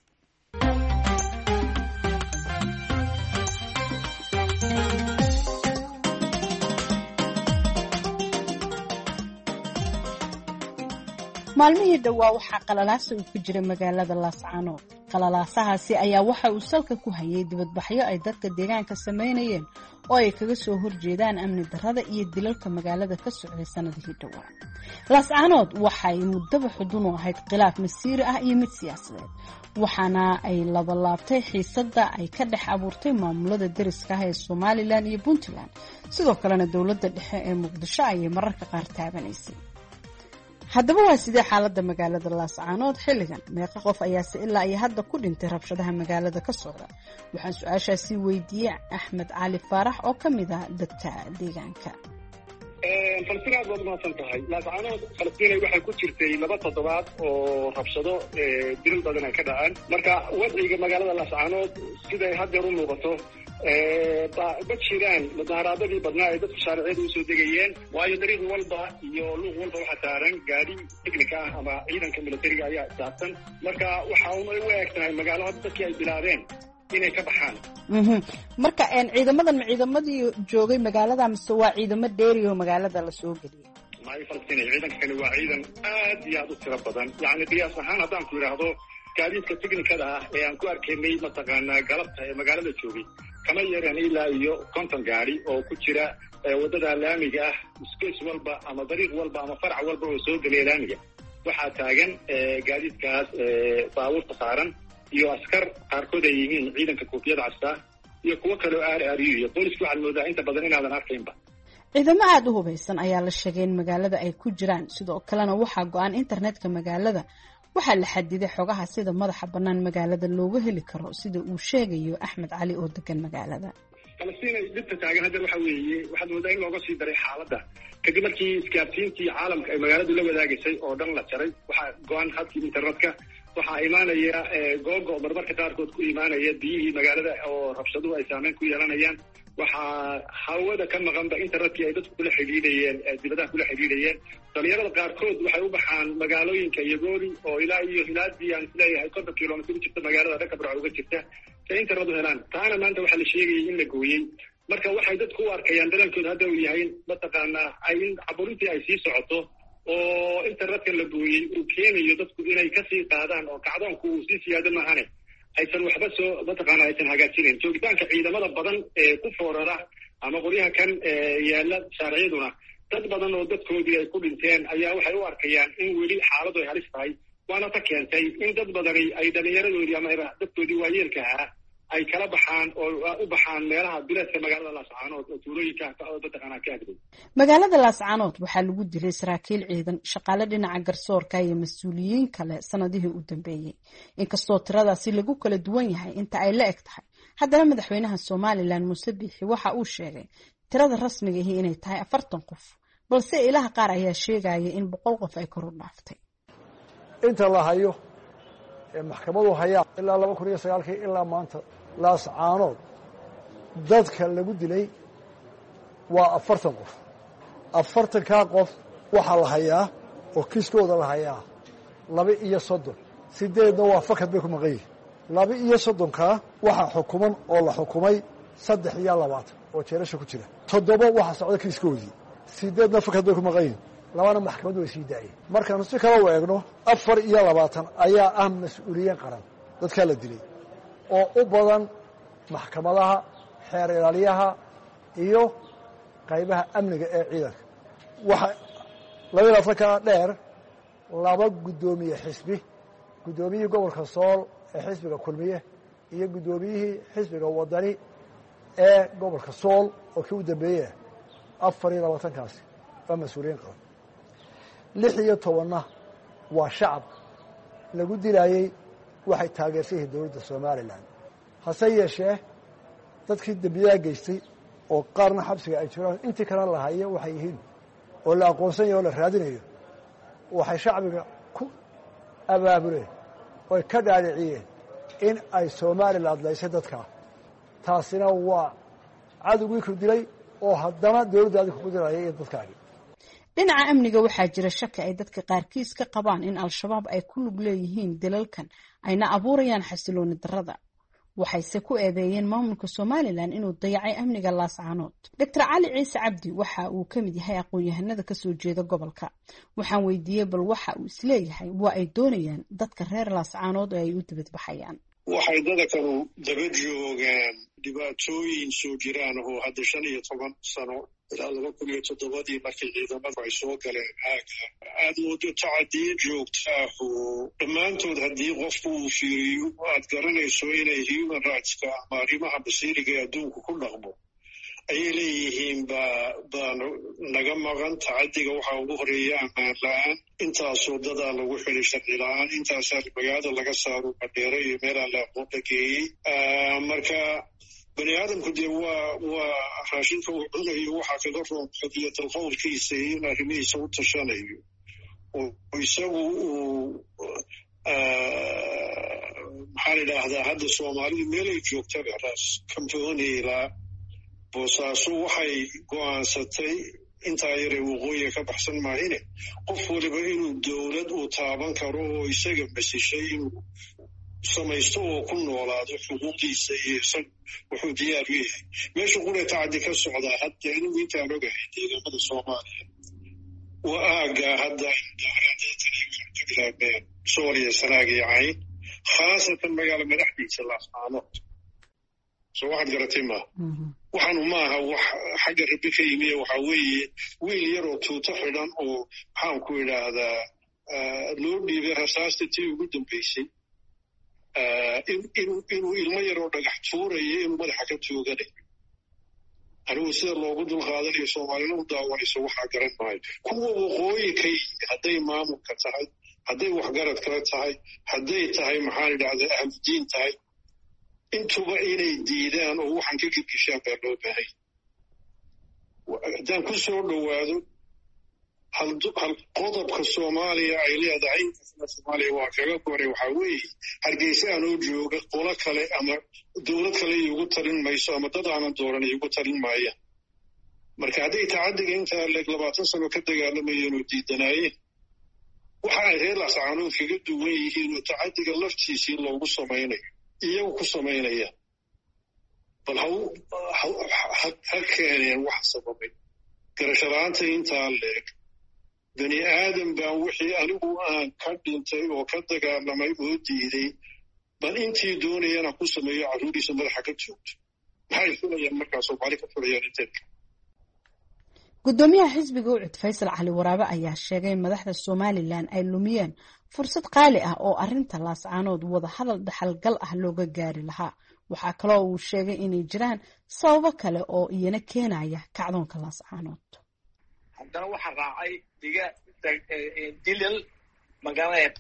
Speaker 19: Maalmihii dhowaa waxaa qalalaasa uu ku jiray magaalada Laascaanood. Qalalaasahaasi ayaa waxa uu salka ku hayay dibadbaxyo ay dadka deegaanka samaynayeen oo ay kaga soo horjeedaan amni darrada iyo dilalka magaalada ka socday sanadihii dhowaa. Laascaanood waxay muddaba xudun u ahayd khilaaf masiiri ah iyo mid siyaasadeed, waxaana ay labalaabtay xiisadda ay ka dhex abuurtay maamulada deriska ah ee Somalilan iyo Puntland. Sidoo kalena dowladda dhexe ee Muqdisho ayay mararka qaar taabanaysay. Haddaba waa sidee xaaladda magaalada Laascaanood xilligan? Meeqa qof ayaase ilaa iyo hadda ku dhintay rabshadaha magaalada ka socda? Waxaan su-aashaasi weydiiyey Axmed Cali Faarax oo ka mid ah dadka deegaanka.
Speaker 3: Falastiin, aad baad umahadsan tahay. Laascaanood, Falastiinay, waxay ku jirtay 2 toddobaad oo rabshado dilal badan ay ka dhaceen. Marka wadciga magaalada Laascaanood siday haddeer u muuqato, ma jiraan mudaharaadadii badnaa ee dadku shaariciyada usoo degayeen, waayo dariiq walba iyo luuq walba waxaa saaran gaadi technica ah ama ciidanka militariga ayaa saabsan. Marka waxa un ay u eg tahay magaalo hadda dadkii ay bilaabeen inay ka baxaan.
Speaker 19: Marka ciidamadan ma ciidamadii joogay magaalada mise waa ciidamo dheeri oo magaalada lasoo geliyay?
Speaker 3: Maayo Falastiin, ciidanka kale waa ciidan aad iyo aad u tiro badan. Yacni qiyaas ahaan haddaan ku idhaahdo, gaadiidka technicada ah ee aan ku arkaynay mataqaanaa galabta ee magaalada joogay kama yareen ilaa iyo 50 gaari oo ku jira waddada laamiga ah. Space walba ama dariiq walba ama farac walba oo soo gelaya laamiga waxaa taagan gaadiidkaas baabuurta saaran iyo askar qaarkood ay yihiin ciidanka koofiyada casta iyo kuwo kale oo aar aariyo iyo booliska. Waxaad moodaa inta badan inaadan arkaynba.
Speaker 19: Ciidamo aada u hubaysan ayaa la sheegay in magaalada ay ku jiraan. Sidoo kalena waxaa go-an internetka magaalada, waxaa la xadiday xogaha sida madaxa bannaan magaalada looga heli karo, sida uu sheegayo Axmed Cali oo degan magaalada.
Speaker 3: Falastiin, dhibta taagan hadda waxa weeye waxaad moodaa in looga sii daray xaaladda kadib markii isgaarsiintii caalamka ay magaaladu la wadaagaysay oo dhan la jaray. Waxaa go-an hadkii internetka, waxaa imaanaya googo marmarka qaarkood ku imaanaya biyihii magaalada oo rabshaduhu ay saameyn ku yeelanayaan. Waxaa hawada ka maqanba internetkii ay dadku kula xidhiidhayeen, dibadaha kula xidhiidhayeen. Dhalinyarada qaarkood waxay u baxaan magaalooyinka Iyogooli oo ilaa iyo hilaadii aan isleeyahay 50 kilomitr u jirta magaalada, dhanka Barco uga jirta, si ay internet u helaan. Taana maanta waxaa la sheegayay in la gooyey. Marka waxay dadku u arkayaan dareenkooda hadda uu yahay mataqaanaa in caburintii ay sii socoto oo internetka la gooyey uu keenayo dadku inay kasii qaadaan oo kacdoonku uu sii siyaado maahane aysan waxba soo mataqaana aysan hagaajinayn. Joogitaanka ciidamada badan ee ku foorara ama qoryaha kan yaala shaariciyaduna, dad badan oo dadkoodii ay ku dhinteen ayaa waxay u arkayaan in weli xaaladu ay halis tahay, waana ta keentay in dad badani ay dhalinyaradoodii ama dadkoodii waayeelka ahaa ay kala baxaan oo u baxaan meelaha duleedka magaalada Laascaanood oo tuulooyinka mataqaanaa ka agdow.
Speaker 19: Magaalada Laascaanood waxaa lagu dilay saraakiil ciidan, shaqaale dhinaca garsoorka iyo mas-uuliyiin kale sanadihii u dambeeyey. Inkastoo tiradaasi lagu kala duwan yahay inta ay la eg tahay, haddana madaxweynaha Somalilan Muuse Biixi waxa uu sheegay tirada rasmiga ahi inay tahay 40 qof, balse ilaha qaar ayaa sheegaya in 100 qof ay kor u dhaaftay.
Speaker 20: Inta la hayo ee maxkamadu hayaa ilaa 2009-kii ilaa maanta Laascaanood dadka lagu dilay waa 40 qof. 40-kaa qof waxaa la hayaa oo kiiskooda la hayaa 32, 8-na waa fakad bay ku maqan yihin. 32-kaa waxaa xukuman oo la xukumay 23 oo jeelasha ku jira. 7 waxaa socda kiiskoodii, 8 fakad bay ku maqan yihin, 2na maxkamaddu way sii daayeen. Markaanu si kale u eegno, 24 ayaa ah mas-uuliyiin qaran dadkaa la dilay, oo u badan maxkamadaha, xeer ilaaliyaha iyo qaybaha amniga ee ciidanka. Waxaa 22-kaa dheer 2 guddoomiye xisbi, guddoomiyihii gobolka Sool ee xisbiga Kulmiye iyo guddoomiyihii xisbiga Wadani ee gobolka Sool oo kii u dambeeyey. 24-kaasi waa mas-uuliyiin qaran. 16-na waa shacab lagu dilaayey waxay taageersan yihiin dowladda Somalilan. Hase yeeshee dadkii dembiyaha geystay oo qaarna xabsiga ay jiraan, intii kalena la hayo waxay yihiin oo la aqoonsan yaho o la raadinayo, waxay shacbiga ku abaabuleen oy ka dhaadhiciyeen in ay Somalilan laysay dadkaa. Taasina waa cadowgii ku dilay oo haddana dowladda adinka ku dilaya iyo dadkaagi.
Speaker 19: Dhinaca amniga waxaa jira shaki ay dadka qaarkiis ka qabaan in Al-Shabaab ay ku lug leeyihiin dilalkan ayna abuurayaan xasilooni darrada. Waxayse ku eedeeyeen maamulka Somalilan inuu dayacay amniga Laascaanood. Doctor Cali Ciise Cabdi waxa uu ka mid yahay aqoon-yahanada kasoo jeeda gobolka. Waxaan weydiiyey bal waxa uu isleeyahay waa ay doonayaan dadka reer Laascaanood oo ay u dibadbaxayaan.
Speaker 3: Waxay dadakanu daba joogaan dhibaatooyin soo jiraan oo hadda 15 sano ilaa 2007-dii markii ciidamadu ay soo galeen aaga, aad moodo tacadiyo joogta ah oo dhammaantood haddii qofku uu fiiriyo aad garanayso inay human rightska ama arrimaha basiiriga ee adduunku ku dhaqmo ayay leeyihiin. Baa naga maqan tacadiga waxaa ugu horeeya ammaan la-aan, intaasoo dadaa lagu xidhay sharci la-aan, intaasaa magaalada laga saaro Madheere iyo meelaa la aqoon la geeyey. Marka bani aadamku dee waa raashinka uu cunayo waxaa kaga roon xorriyatal qowlkiisa iyo in arrimihiisa u tashanayo oo isagu uu, maxaa la idhaahdaa, hadda Soomaalidu meelay joogtaba, Raas Kambooni ilaa Boosaaso, waxay go'aansatay intaa yaree waqooyiga ka baxsan maahine qof waliba inuu dowlad uu taaban karo oo isaga masishay inuu samaysto oo ku noolaado xuquuqdiisa iyo isag wuxuu diyaar u yahay. Meesha qura tacaddi ka socdaa hadda anigu intaan ogahay deegaamada Soomaaliya waa aaggaa hadda ay mudaaharaadatan iyo waxay ka bilaabeen Sool iyo Sanaag iyo Cayn, khaasatan magaalo madaxdiisa Laascaanood. Soo waxaad garatay maaha, waxaanu maaha wax xagga rabi ka yimi. Waxaa weeye wiil yaroo tuuto xidhan oo maxaan ku idhaahdaa loo dhiibay rasaasta tii ugu dambeysay, inuu ilmo yaroo dhagax tuurayo inuu madaxa ka tooganayo. Anigu sida loogu dulqaadanayo Soomaalina u daawanayso waxaa garan maayo. Kuwa waqooyi ka yimi, hadday maamulka tahay, hadday waxgarad kala tahay, hadday tahay maxaan idhahdaa ahludiin tahay, intuba inay diidaan oo waxaan ka girgishaan baa loo baahay. Haddaan ku soo dhowaado hal qodobka Soomaaliya ay leedahay, inkastana Soomaaliya waa kaga goray, waxaa weeye Hargeysa anoo jooga qolo kale ama dowlad kale iigu talin mayso ama dad aanan dooran iigu talin maayaan. Marka hadday tacadiga intaa leeg 20 sano ka dagaalamayeen oo diidanaayeen, waxa ay reer Laascaanood kaga duwan yihiin oo tacadiga laftiisii loogu samaynayo iyagu ku samaynaya, bal ha keeneen wax sababay garasho la-aanta intaa leeg. Bani aadam baan wixii anigu aan ka dhintay oo ka dagaalamay oo diiday bal intii doonayana ku sameeyo carruuriisa madaxa ka joogto, maxay fulayaan markaa Soomaali ka fulayaan inteedka?
Speaker 19: Guddoomiyaha xisbiga UCID Faysal Cali Waraabe ayaa sheegay in madaxda Somalilan ay lumiyeen fursad qaali ah oo arinta Laascaanood wadahadal dhaxalgal ah looga gaari lahaa. Waxaa kaloo uu sheegay inay jiraan sababo kale oo iyana keenaya kacdoonka Laascaanood.
Speaker 21: Haddana waxaa raacay diga dilal magaalada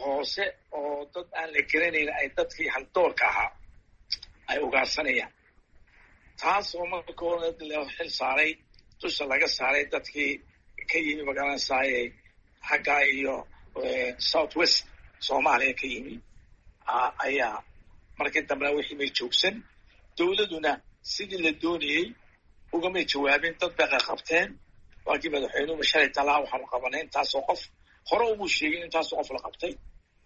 Speaker 21: hoose oo dad aan la garanayn ay dadkii haldoorka ahaa ay ugaarsanayaan, taas oo marka hore loo xil saaray, dusha laga saaray dadkii ka yimi magaalada saaye xaggaa iyo South West Soomaaliya ka yimi. Ayaa markii dambena wixii may joogsan, dowladuna sidii la doonayey ugamay jawaabin. Dad bay qaqabteen. Waakii madaxweynuhu shalay talaa waxaanu qabanay intaasoo qof, hore umuu sheegin intaasoo qof la qabtay.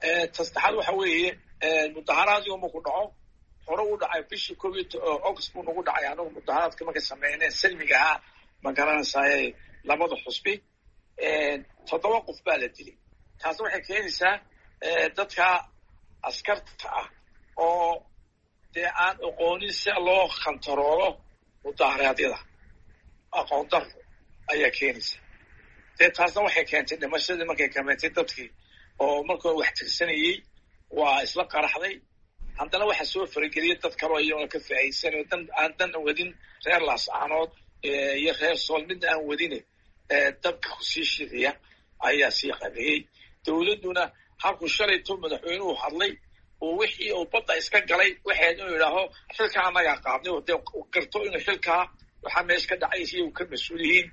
Speaker 21: Ta saddexaad waxa weeye mudaharaad yooma ku dhaco hore u dhacay bishii 1 August buu nagu dhacay. Anagu mudaharaadka markay sameyneen salmiga ahaa, ma garanaysaye, labada xusbi 7 qof baa la dilay. Taasi waxay keenaysaa dadka askarta ah oo dee aan aqoonin si loo khantaroolo mudaharaadyada, aqoon daro ayaa keenaysa. Dee taasna waxay keentay dhimashadii markay kementay dadkii oo markii wax tirsanayey waa isla qaraxday. Haddana waxaa soo farageliyay dad kaloo iyagona ka faa'iidsanayo, dan aan dan wadin, reer Laascaanood iyo reer Sool midna aan wadine, dabka kusii shidaya ayaa sii qabeeyey. Dowladduna halkuu shalayto madaxweynuhu hadlay oo wixii uu badda iska galay, waxayd inuu yidhaaho xilkaa annagaa qaadnay, dee garto inuu xilkaa waxaa meesha ka dhacay iyagu ka mas-uul yihiin,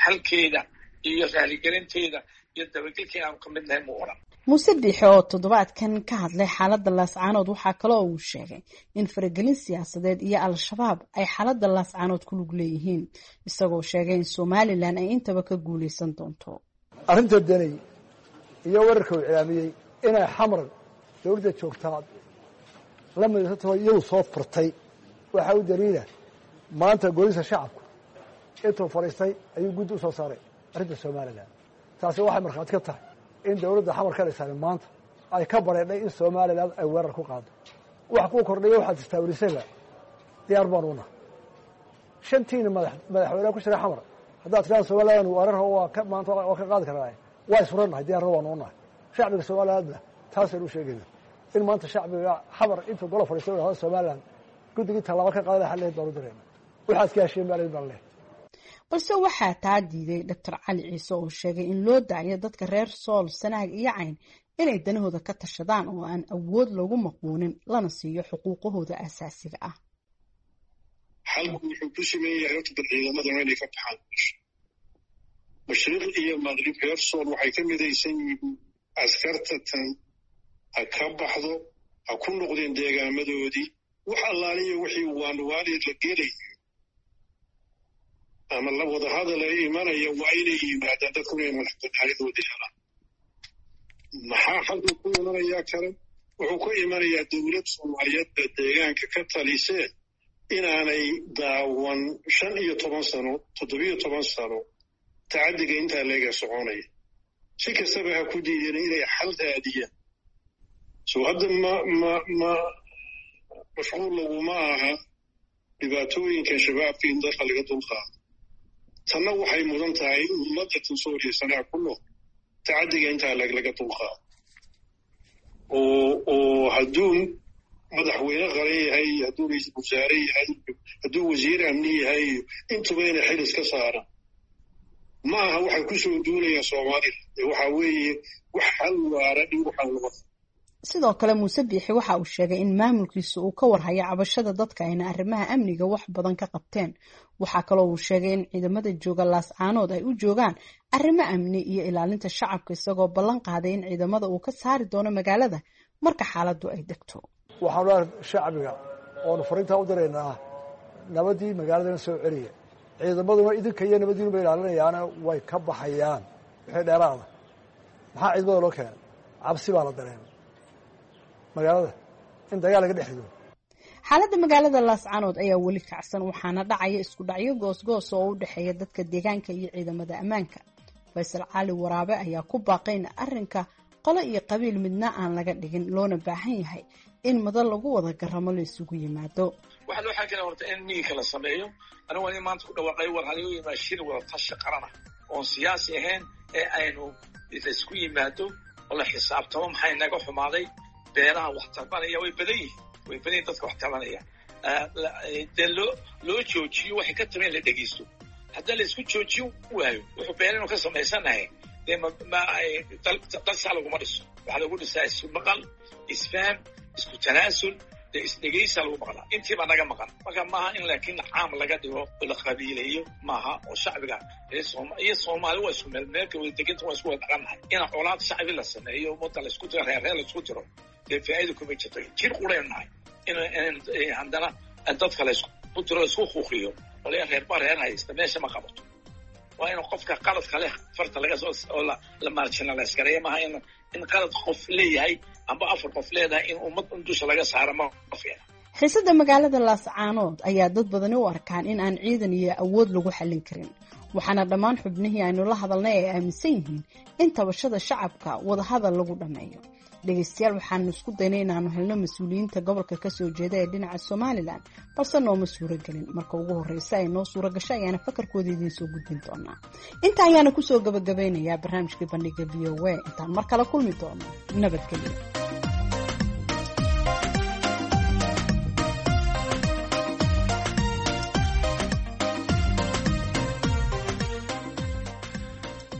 Speaker 21: xalkeeda iyo raaligelinteeda iyo dabagelkeeda aanu ka mid nahay mu odhan.
Speaker 19: Muuse Biixi oo toddobaadkan ka hadlay xaaladda Laascaanood waxaa kaloo uu sheegay in faragelin siyaasadeed iyo Al-Shabaab ay xaaladda Laascaanood ku lug leeyihiin, isagoo sheegay in Somalilan ay intaba ka guuleysan doonto.
Speaker 20: Arrinta danay iyo wararka uu cilaamiyey inay Xamar dowladda joogtaa la midaysantaho iyadu soo furtay waxaa u daliila maanta golisa shacabku intuu fadhiistay ayuu guddi u soo saaray arrinta Somalilan. Taasi waxay markhaati ka tahay in dowladda Xamar ka dhisaani maanta ay ka bareedhay in Somalilan ay weerar ku qaado. Wax kuu kordhaya waxaad istaawilisayba diyaar baan una shantiina madaxweyneha ku jira Xamar haddaad tidhahda Somalilan weerar waa ka maanta waa ka qaadi karnaa, waa isfurannahay, diyaarna waanu unahay. Shacbiga Somalilandna taasaynu u sheegayna in maanta shacbiga Xamar intuu golo fadhiistay hada Somalilan guddigii tallaabo ka qaadana xalleed baanu dirayna, waxaad ka heshiin baa baan leh.
Speaker 19: Balse waxaa taa diiday Doctor Cali Ciise oo sheegay in loo daayo dadka reer Sool, Sanaag iyo Cayn inay danahooda ka tashadaan oo aan awood loogu maquunin, lana siiyo xuquuqahooda asaasiga ah.
Speaker 3: Xalku wuxuu ku siman yahay horta bal ciidamadana inay ka baxaan meesha. Mashriq iyo maqrib reer Sool waxay ka midaysan yihiin askarta tan ha ka baxdo, ha ku noqdeen deegaamadoodii. Wax allaaliya wixii waanwaaleed la gelayo ama la wadahadal ay imanaya waa inay yimaadaan dadku inay madax banaanidoodii helaan. Maxaa xalku ku imanayaa kale? Wuxuu ku imanayaa dowlad Soomaaliyeed baa deegaanka ka talisee inaanay daawan 15 sano, 17 sano tacaddiga intaa leega soconaya. Si kastaba ha ku diideen inay xal raadiyaan. So hadda ma mashquul laguma aha dhibaatooyinkan shabaabka in dalka laga dulqaado. Tanna waxay mudan tahay in ummadda tan Sooriya sanaa ku nool tacaddiga intaa laga dulqaado. Oo hadduu madaxweyne qaran yahay, hadduu ra-iisul wasaare yahay, hadduu wasiir amni yahay, intuba inay xil iska saaraan. Ma aha waxay ku soo duulayaan Soomaalida, waxaa weeye wax xal waara in waxaan loo.
Speaker 19: Sidoo kale Muuse Biixi waxa uu sheegay in maamulkiisa uu ka warhayo cabashada dadka ayna arrimaha amniga wax badan ka qabteen. Waxaa kaloo uu sheegay in ciidamada jooga Laascaanood ay u joogaan arrimo amni iyo ilaalinta shacabka, isagoo ballan qaaday in ciidamada uu ka saari doono magaalada marka xaaladdu ay degto.
Speaker 20: Waxaanu leeahay shacbiga oonu fariintaa u diraynaa nabadii magaaladana soo celiya, ciidamaduna idinka iyo nabadiinuba ilaalinayaana way ka baxayaan wixii dheeraada. Maxaa ciidamada loo keenay? Cabsi baa la dareemay magaalada in dagaal laga dhex rido.
Speaker 19: Xaaladda magaalada Laascaanood ayaa weli kacsan, waxaana dhacaya isku dhacyo goosgoos oo u dhexeeya dadka deegaanka iyo ciidamada ammaanka. Faysal Cali Waraabe ayaa ku baaqay in arrinka qolo iyo qabiil midna aan laga dhigin, loona baahan yahay in madal lagu wada garamo la isugu yimaado.
Speaker 21: Waxaa loo xaakina horta in miinka la sameeyo. Anigu waa in maanta ku dhawaaqay war halagu yimaado shir wada tashi qarana oon siyaasi ahayn ee aynu laisku yimaado oo la xisaabtamo maxay naga xumaaday. Beeraha wax tabanaya way badan yihiin, way badan yihin dadka wax tabanaya. Dee loo joojiyo waxay ka taban la dhegeysto. Haddii la isku joojiyo waayo wuxuu beer inuu ka samaysanahay dee dalsaa laguma dhiso. Waxaa lagu dhisaa isku maqal, isfaham, isku tanaasul, dee isdhegeysaa lagu maqlaa. Intiibaa naga maqan. Marka maaha in laakiin caam laga dhigo oo la qabiileeyo maaha, oo shacbiga iyo Soomaali waa isku meel meelka wada deganta, waa isku wada dhaqannahay. In colaad shacbi la sameeyo, ummadda la isku tiro, reerreer la isku tiro, dee faa'iida kuma jirto. Jir quraynu nahay in haddana dadka la isku tiro, la isku kuuqiyo oo la reerba reer haysta meesha ma qabato. Waa in qofka qaladka leh farta laga soo oo la marginalize gareeyo, maaha in In qalad qof leeyahay amba afar qof leedahay in ummad in dusha laga saaro ma fiicna.
Speaker 19: Xiisada magaalada Laascaanood ayaa dad badani u arkaan in aan ciidan iyo awood lagu xallin karin, waxaana dhammaan xubnihii aynu la hadalnay ay aaminsan yihiin in tabashada shacabka wadahadal lagu dhammeeyo. Dhegeystayaal, waxaanu isku daynay inaanu helno mas-uuliyiinta gobolka kasoo jeeda ee dhinaca Somalilan, balse nooma suuragelin. Marka ugu horeysa ay noo suura gasho ayaana fakarkooda idiin soo gudbin doonaa. Inta ayaana kusoo gabagabeynayaa barnaamijkii Bandhiga VOA. Intaan mar kale kulmi doono, nabadgelyo.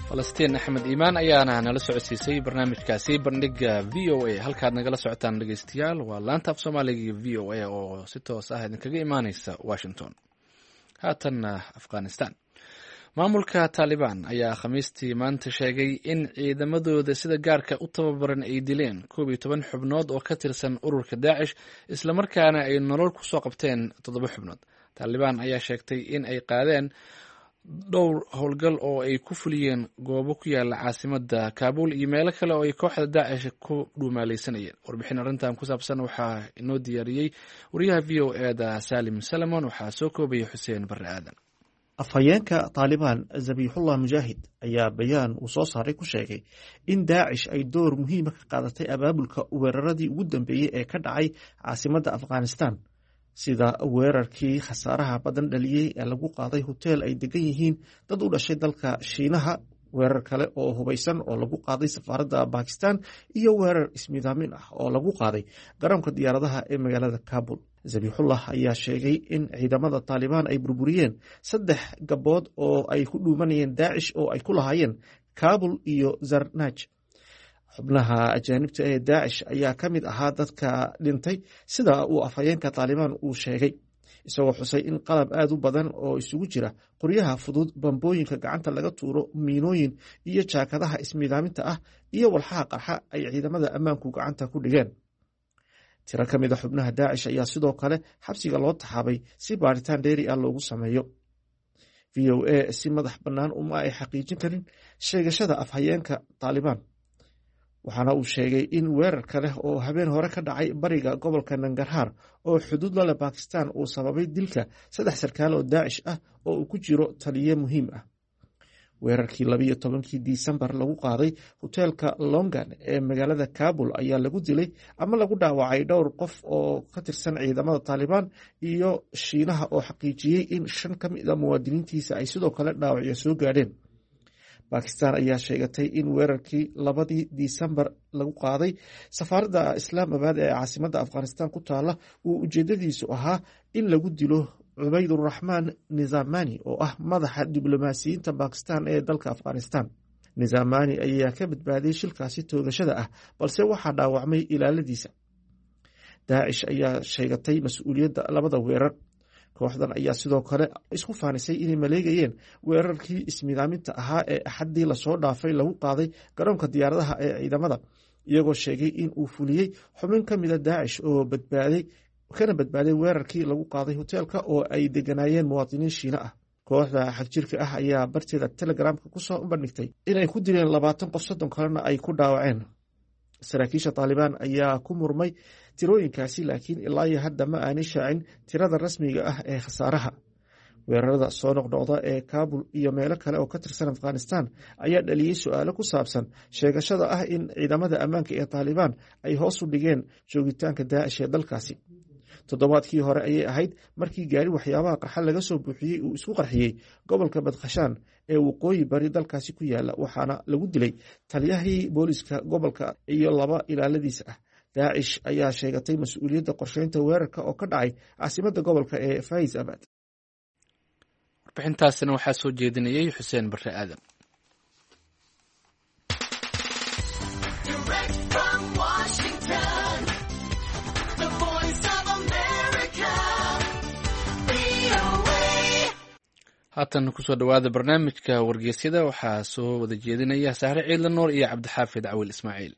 Speaker 1: Falastiin Axmed Iimaan ayaana nala socodsiisay barnaamijkaasi Bandhiga VOA. Halkaad nagala socotaan, dhegeystayaal, waa laanta af Soomaaliga VOA oo si toos ah idinkaga imaaneysa Washington. Haatanna Afghanistan. Maamulka Taalibaan ayaa Khamiistii maanta sheegay in ciidamadooda sida gaarka u tababaran ay dileen 11 xubnood oo ka tirsan ururka Daacish, islamarkaana ay nolol kusoo qabteen 7 xubnood. Taalibaan ayaa sheegtay in ay qaadeen dhowr howlgal oo ay ku fuliyeen goobo ku yaala caasimada Kaabul iyo meelo kale oo ay kooxda Daacish ku dhuumaaleysanayeen. Warbixin arrintan ku saabsan waxaa inoo diyaariyey wariyaha VOA da Salim Salamon, waxaa soo koobaya Xuseen Barre Aadan.
Speaker 5: Afhayeenka Taalibaan Zabiixullah Mujaahid ayaa bayaan uu soo saaray ku sheegay in Daacish ay door muhiima ka qaadatay abaabulka weeraradii ugu dambeeyey ee ka dhacay caasimadda Afghanistan, sida weerarkii khasaaraha badan dhaliyey ee lagu qaaday hoteel ay degan yihiin dad u dhashay dalka Shiinaha, weerar kale oo hubaysan oo lagu qaaday safaaradda Bakistan iyo weerar ismidaamin ah oo lagu qaaday garoonka diyaaradaha ee magaalada Kabul. Zabiixullah ayaa sheegay in ciidamada Taalibaan ay burburiyeen 3 gabood oo ay ku dhuumanayeen Daacish oo ay ku lahaayeen Kabul iyo Zarnaj. Xubnaha ajaanibta ee Daacish ayaa ka mid ahaa dadka dhintay, sida uu afhayeenka Taalibaan uu sheegay, isagoo xusay in qalab aad u badan oo isugu jira qoryaha fudud, bambooyinka gacanta laga tuuro, miinooyin iyo jaakadaha ismiidaaminta ah iyo walxaha qarxa ay ciidamada ammaanku gacanta ku dhigeen. Tiro ka mid a xubnaha Daacish ayaa sidoo kale xabsiga loo taxaabay si baaritaan dheeri ah loogu sameeyo. VOA si madax bannaan uma ay xaqiijin karin sheegashada afhayeenka Taalibaan, waxaana uu sheegay in weerar kale oo habeen hore ka dhacay bariga gobolka Nangarhaar oo xuduud la leh Bakistan uu sababay dilka 3 sarkaal oo Daacish ah oo uu ku jiro taliye muhiim ah. Weerarkii 12-kii Disembar lagu qaaday hoteelka Longan ee magaalada Kabul ayaa lagu dilay ama lagu dhaawacay dhowr qof oo ka tirsan ciidamada Taalibaan iyo Shiinaha oo xaqiijiyey in 5 ka mid a muwaadiniintiisa ay sidoo kale dhaawacyo soo gaadheen. Bakistan ayaa sheegatay in weerarkii 2dii Disembar lagu qaaday safaaradda Islaamabad ee caasimadda Afghanistan ku taala uu ujeedadiisu ahaa in lagu dilo Cubayduraxmaan Nizamani oo ah madaxa diblomaasiyiinta Bakistan ee dalka Afghanistan. Nizamani ayaa ka badbaaday shilkaasi toogashada ah, balse waxaa dhaawacmay ilaaladiisa. Daacish ayaa sheegatay mas-uuliyadda labada weerar. Kooxdan ayaa sidoo kale isku faanisay inay maleegayeen weerarkii ismidaaminta ahaa ee Axaddii lasoo dhaafay lagu qaaday garoonka diyaaradaha ee ciidamada, iyagoo sheegay in uu fuliyey xubin ka mida Daacish oo badbaaday kana badbaaday weerarkii lagu qaaday hoteelka oo ay deganaayeen muwaadiniin Shiine ah. Kooxda xagjirka ah ayaa barteeda Telegramka kusoo bandhigtay inay ku dileen 20 qof, 30 kalena ay ku dhaawaceen. Saraakiisha Taalibaan ayaa ku murmay tirooyinkaasi, laakiin ilaa iyo hadda ma aanay shaacin tirada rasmiga ah ee khasaaraha. Weerarada soo noqnoqda ee Kaabul iyo meelo kale oo ka tirsan Afghanistan ayaa dhaliyey su-aalo ku saabsan sheegashada ah in ciidamada ammaanka ee Taalibaan ay hoos u dhigeen joogitaanka Daacish ee dalkaasi. Toddobaadkii hore ayay ahayd markii gaari waxyaabaha qarxa laga soo buuxiyey uu isku qarxiyey gobolka Badkhashaan ee waqooyi bari dalkaasi ku yaala, waxaana lagu dilay taliyahii booliska gobolka iyo 2 ilaaladiisa ah. Daacish ayaa sheegatay mas-uuliyadda qorsheynta weerarka oo ka dhacay caasimadda gobolka ee Faiz Abad.
Speaker 1: Warbixintaasina waxaa soo jeedinayey Xuseen Barre Aadan. Haatan kusoo dhowaada barnaamijka wargeysyada, waxaa soo wada jeedinaya Sahre Ciidla Nuur iyo Cabdixaafid Cawil Ismaaciil.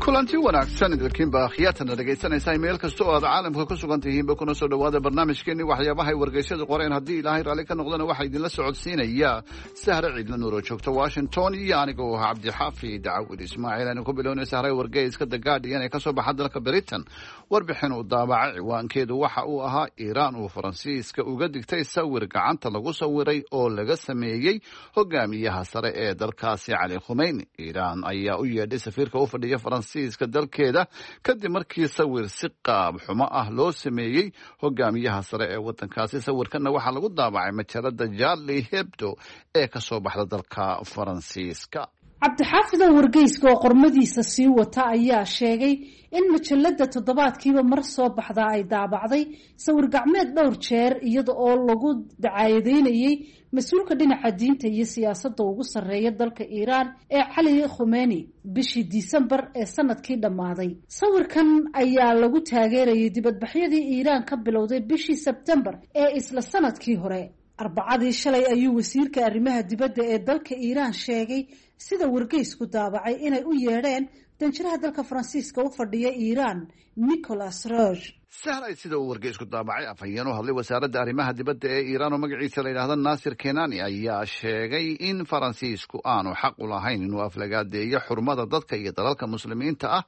Speaker 2: Kulanti wanaagsan idilkiinba akhyaatana dhegaysanaysaa meel kasta oo aad caalamka ku sugan tihiinba, kuna soo dhowaada barnaamijkeenii waxyaabahay wargeysyadu qoreen. Haddii Ilaahay raalli ka noqdana, waxaa idinla socodsiinaya Sahre Ciidla Nuur oo joogta Washington iyo aniga oo ah Cabdixaafi Dacawil Ismaaciil. Aynu ku bilownay, Sahre, wargeyska The Guardian ee kasoo baxa dalka Britain warbixin uu daabacay ciwaankeedu waxa uu ahaa Iiraan uu Faransiiska uga digtay sawir gacanta lagu sawiray oo laga sameeyey hogaamiyaha sare ee dalkaasi Cali Khumeyni. Iiraan ayaa u yeedhay safiirka u fadhiya Faransiiska dalkeeda kadib markii sawir si qaab xumo ah loo sameeyey hogaamiyaha sare ee wadankaasi. Sawirkanna waxaa lagu daabacay majalada Charlie Hebdo ee kasoo baxda dalka Faransiiska.
Speaker 19: Cabdixaafidow, wargeyska oo qormadiisa sii wata ayaa sheegay in majalada toddobaadkiiba mar soo baxdaa ay daabacday sawir gacmeed dhowr jeer, iyada oo lagu dacaayadeynayey mas-uulka dhinaca diinta iyo siyaasadda ugu sarreeya dalka Iiraan ee Cali Khumeni bishii Disembar ee sanadkii dhammaaday. Sawirkan ayaa lagu taageerayay dibadbaxyadii Iiraan ka bilowday bishii Sebtembar ee isla sanadkii hore. Arbacadii shalay ayuu wasiirka arrimaha dibadda ee dalka Iiraan sheegay, sida wargeysku daabacay, inay u yeedheen danjiraha dalka Faransiiska u fadhiya Iiraan, Nicolas Roge.
Speaker 2: Sahray, sida uu wargeysku daabacay, afhayeen u hadlay wasaaradda arrimaha dibadda ee Iiraan oo magaciisa la yidhaahda Naasir Kenani ayaa sheegay in Faransiisku aanu xaq u lahayn inuu aflagaadeeyo xurmada dadka iyo dalalka Muslimiinta ah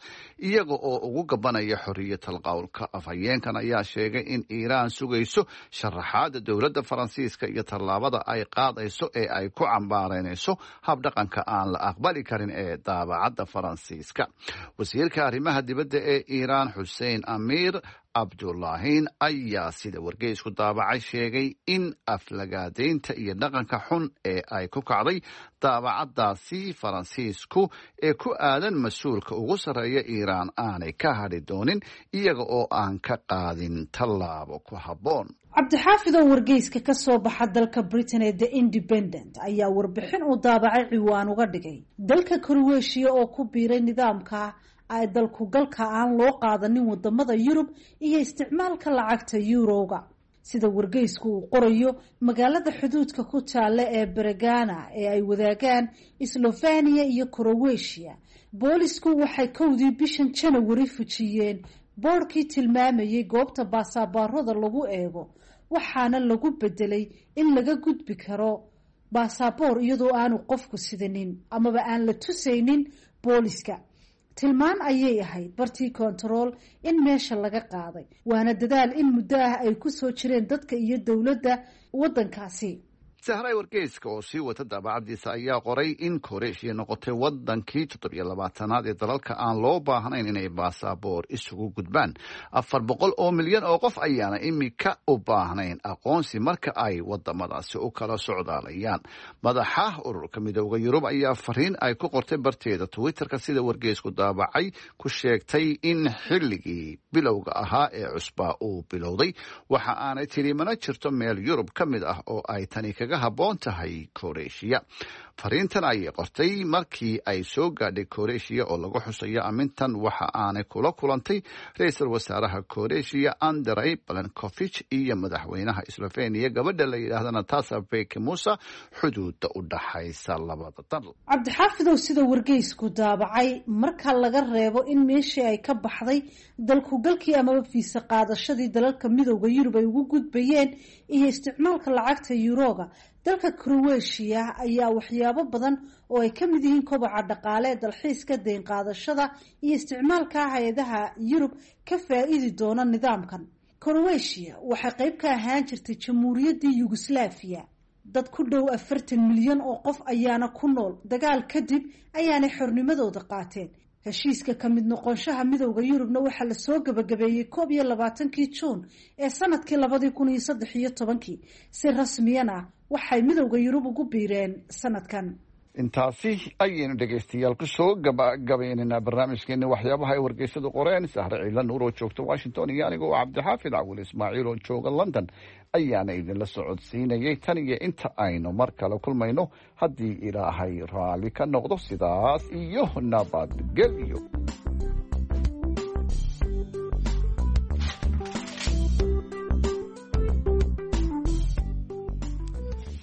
Speaker 2: iyaga oo ugu gabanaya xorriyatal qowlka. Afhayeenkan ayaa sheegay in Iiraan sugayso sharaxaada dowladda Faransiiska iyo tallaabada ay qaadayso ee ay ku cambaareynayso habdhaqanka aan la aqbali karin ee daabacadda Faransiiska. Wasiirka arrimaha dibadda ee Iiraan, Xuseen Amiir Cabdulaahin, ayaa sida wargeysku daabacay sheegay in aflagaadeynta iyo dhaqanka xun ee ay ku kacday daabacadaasi Faransiisku ee ku aadan mas-uulka ugu sarreeya Iiraan aanay ka hadhi doonin iyaga oo aan ka qaadin tallaabo ku habboon.
Speaker 19: Cabdixaafidow, wargeyska ka soo baxa dalka Britain ee The Independent ayaa warbixin uu daabacay ciwaan uga dhigay dalka Croatia oo ku biiray nidaamka ay dalku galka aan loo qaadanin wadamada Yurub iyo isticmaalka lacagta yuroga. Sida wargeysku uu qorayo, magaalada xuduudka ku taalla ee Beregana ee ay wadaagaan Slovenia iyo Croatia, boolisku waxay 1dii bishan Janawari fujiyeen boorkii tilmaamayay goobta baasaboorada lagu eego, waxaana lagu bedelay in laga gudbi karo baasaboor iyadoo aanu qofku sidanin amaba aan la tusaynin booliska. Tilmaan ayay ahayd bartii kontarool in meesha laga qaaday, waana dadaal in muddo ah ay ku soo jireen dadka iyo dowladda waddankaasi.
Speaker 2: Sahray, wargeyska oo sii wata daabacadiisa ayaa qoray in Koreeshiya noqotay wadankii 27aad ee dalalka aan loo baahnayn inay baasaboor isugu gudbaan. 400 oo milyan oo qof ayaana imika u baahnayn aqoonsi marka ay wadamadaasi u kala socdaalayaan. Madaxa ururka Midooda Yurub ayaa fariin ay ku qortay barteeda Twitterka, sida wargeysku daabacay, ku sheegtay in xilligii bilowga ahaa ee cusbaa uu bilowday. Waxa aanay tiri mana jirto meel Yurub ka mid ah oo ay tani kaga habboon tahay Koreeshiya. Fariintan ayay qortay markii ay soo gaadhay Koreeshiya oo lagu xusayo amintan. Waxa aanay kula kulantay ra-iisul wasaaraha Koreeshiya Andrey Plenkovich iyo madaxweynaha Slovenia, gabadha la yidhaahda Natasa Beke Musa, xuduuda u dhaxaysa labada dal.
Speaker 19: Cabdixaafidow, sida wargeysku daabacay, marka laga reebo in meeshii ay ka baxday dalkugalkii amaba fiisa qaadashadii dalalka Midooda Yurub ay ugu gudbayeen iyo isticmaalka lacagta yuroga, dalka Croatia ayaa waxyaabo badan oo ay ka mid yihiin kobaca dhaqaale, dalxiiska, deyn qaadashada iyo isticmaalka hay-adaha Yurub ka faa-iidi doona nidaamkan. Croatia waxay qayb ka ahaan jirtay Jamhuuriyaddii Yugoslafiya. Dad ku dhow 40 milyan oo qof ayaana ku nool. Dagaal kadib ayaanay xornimadooda qaateen. Heshiiska ka mid noqonshaha Midowda Yurubna waxaa lasoo gabagabeeyey 21kii Juun ee sanadkii 2013kii. Si rasmiyana waxay Midowda Yurub ugu biireen sanadkan.
Speaker 2: Intaasi ayaynu dhegaystayaal kusoo gabagabaynaynaa barnaamijkeeni waxyaabaha ay wargeysadu qoreen. Sahre Ciila Nuur oo joogta Washington iyo aniga oo Cabdixaafid Cawil Ismaaciil oo jooga London ayaana idinla socodsiinayay. Tan iyo inta aynu mar kale kulmayno, haddii Ilaahay raalli ka noqdo, sidaas iyo nabadgelyo.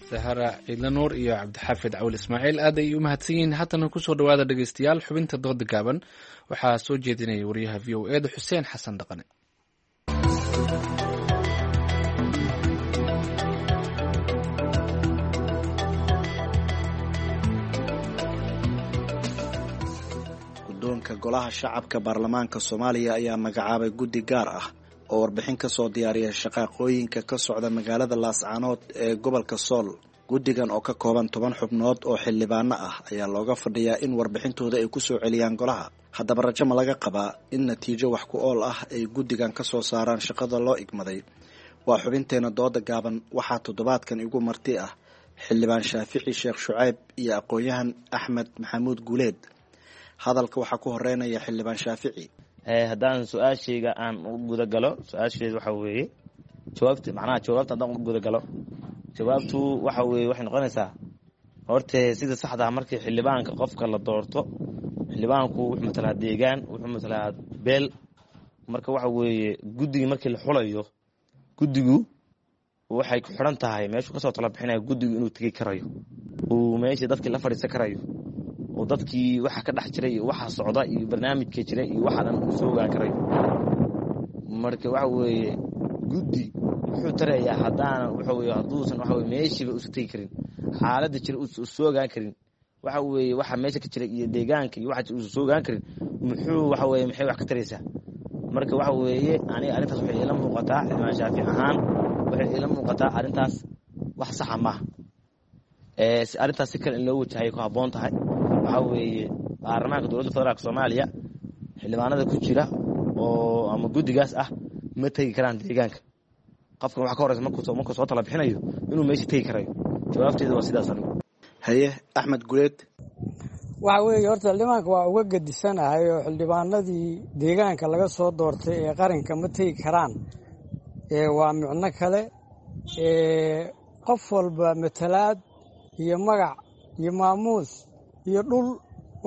Speaker 1: Zahara Ciidlanuur iyo Cabdixaafid Cawil Ismaaciil aad ay u mahadsan yihiin. Haatana kusoo dhawaada dhegeystayaal xubinta dooda gaaban. Waxaa soo jeedinaya wariyaha v o e da Xuseen Xasan Dhaqane.
Speaker 4: Guddoonka Golaha Shacabka Baarlamaanka Soomaaliya ayaa magacaabay guddi gaar ah oo warbixin ka soo diyaariya shaqaaqooyinka ka socda magaalada Laascaanood ee gobolka Sool. Guddigan oo ka kooban 10 xubnood oo xildhibaano ah ayaa looga fadhiyaa in warbixintooda ay ku soo celiyaan golaha. Haddaba rajo ma laga qabaa in natiijo wax ku ool ah ay guddigan ka soo saaraan shaqada loo igmaday? Waa xubinteena dooda gaaban. Waxaa toddobaadkan igu marti ah Xildhibaan Shaafici Sheekh Shucayb iyo aqoon-yahan Axmed Maxamuud Guuleed. Hadalka waxaa ku horeynaya Xildhibaan Shaafici.
Speaker 22: Haddaan su-aashayga aan u gudagalo, su-aasheedu waxa weeye jawaabta, macnaha jawaabta haddaan u gudagalo, jawaabtu waxa weeye waxay noqonaysaa horte sida saxda ah markii xildhibaanka qofka la doorto, xildhibaanku wuxuu matalaa deegaan, wuxuu matalaa beel. Marka waxa weeye guddigii markii la xulayo, guddigu waxay ku xidhan tahay meeshuu kasoo tala bixinayo guddigu inuu tegi karayo, uu meeshii dadkii la fadhiisan karayo, oo dadkii waxa ka dhex jiray iyo waxa socda iyo barnaamijka jira iyo waxa dhan uu soo ogaan karayo. Marka waxa weeye guddi wuxuu tarayaa haddaanan waxa weye hadduusan waxa weye meeshiiba uusan tegi karin, xaaladda jira uusan soo ogaan karin, waxa weeye waxa meesha ka jira iyo deegaanka iyo waxa jira uusan soo ogaan karin, muxuu waxa weye maxay wax ka taraysaa? Marka waxa weeye aniga arrintaas waxay iila muuqataa, Xildhibaan Shaafic ahaan waxay iila muuqataa arrintaas wax saxa maaha. Arrintaas si kale in loo wajahayo ku habboon tahay. Waxaa weeye baarlamaanka dowladda federaalka Soomaaliya xildhibaanada ku jira oo ama guddigaas ah ma tegi karaan deegaanka. Qofkan waxa ka horeysa markuu soo tala bixinayo inuu meesha tegi karayo. Jawaabteedu waa sidaas anigu.
Speaker 4: Haye, Axmed Guleed.
Speaker 23: Waxa weeye horta xildhibaanka waa uga gedisanahay oo xildhibaanadii deegaanka laga soo doortay ee qaranka ma tegi karaan. Waa micno kale. Qof walba matalaad iyo magac iyo maamuus iyo dhul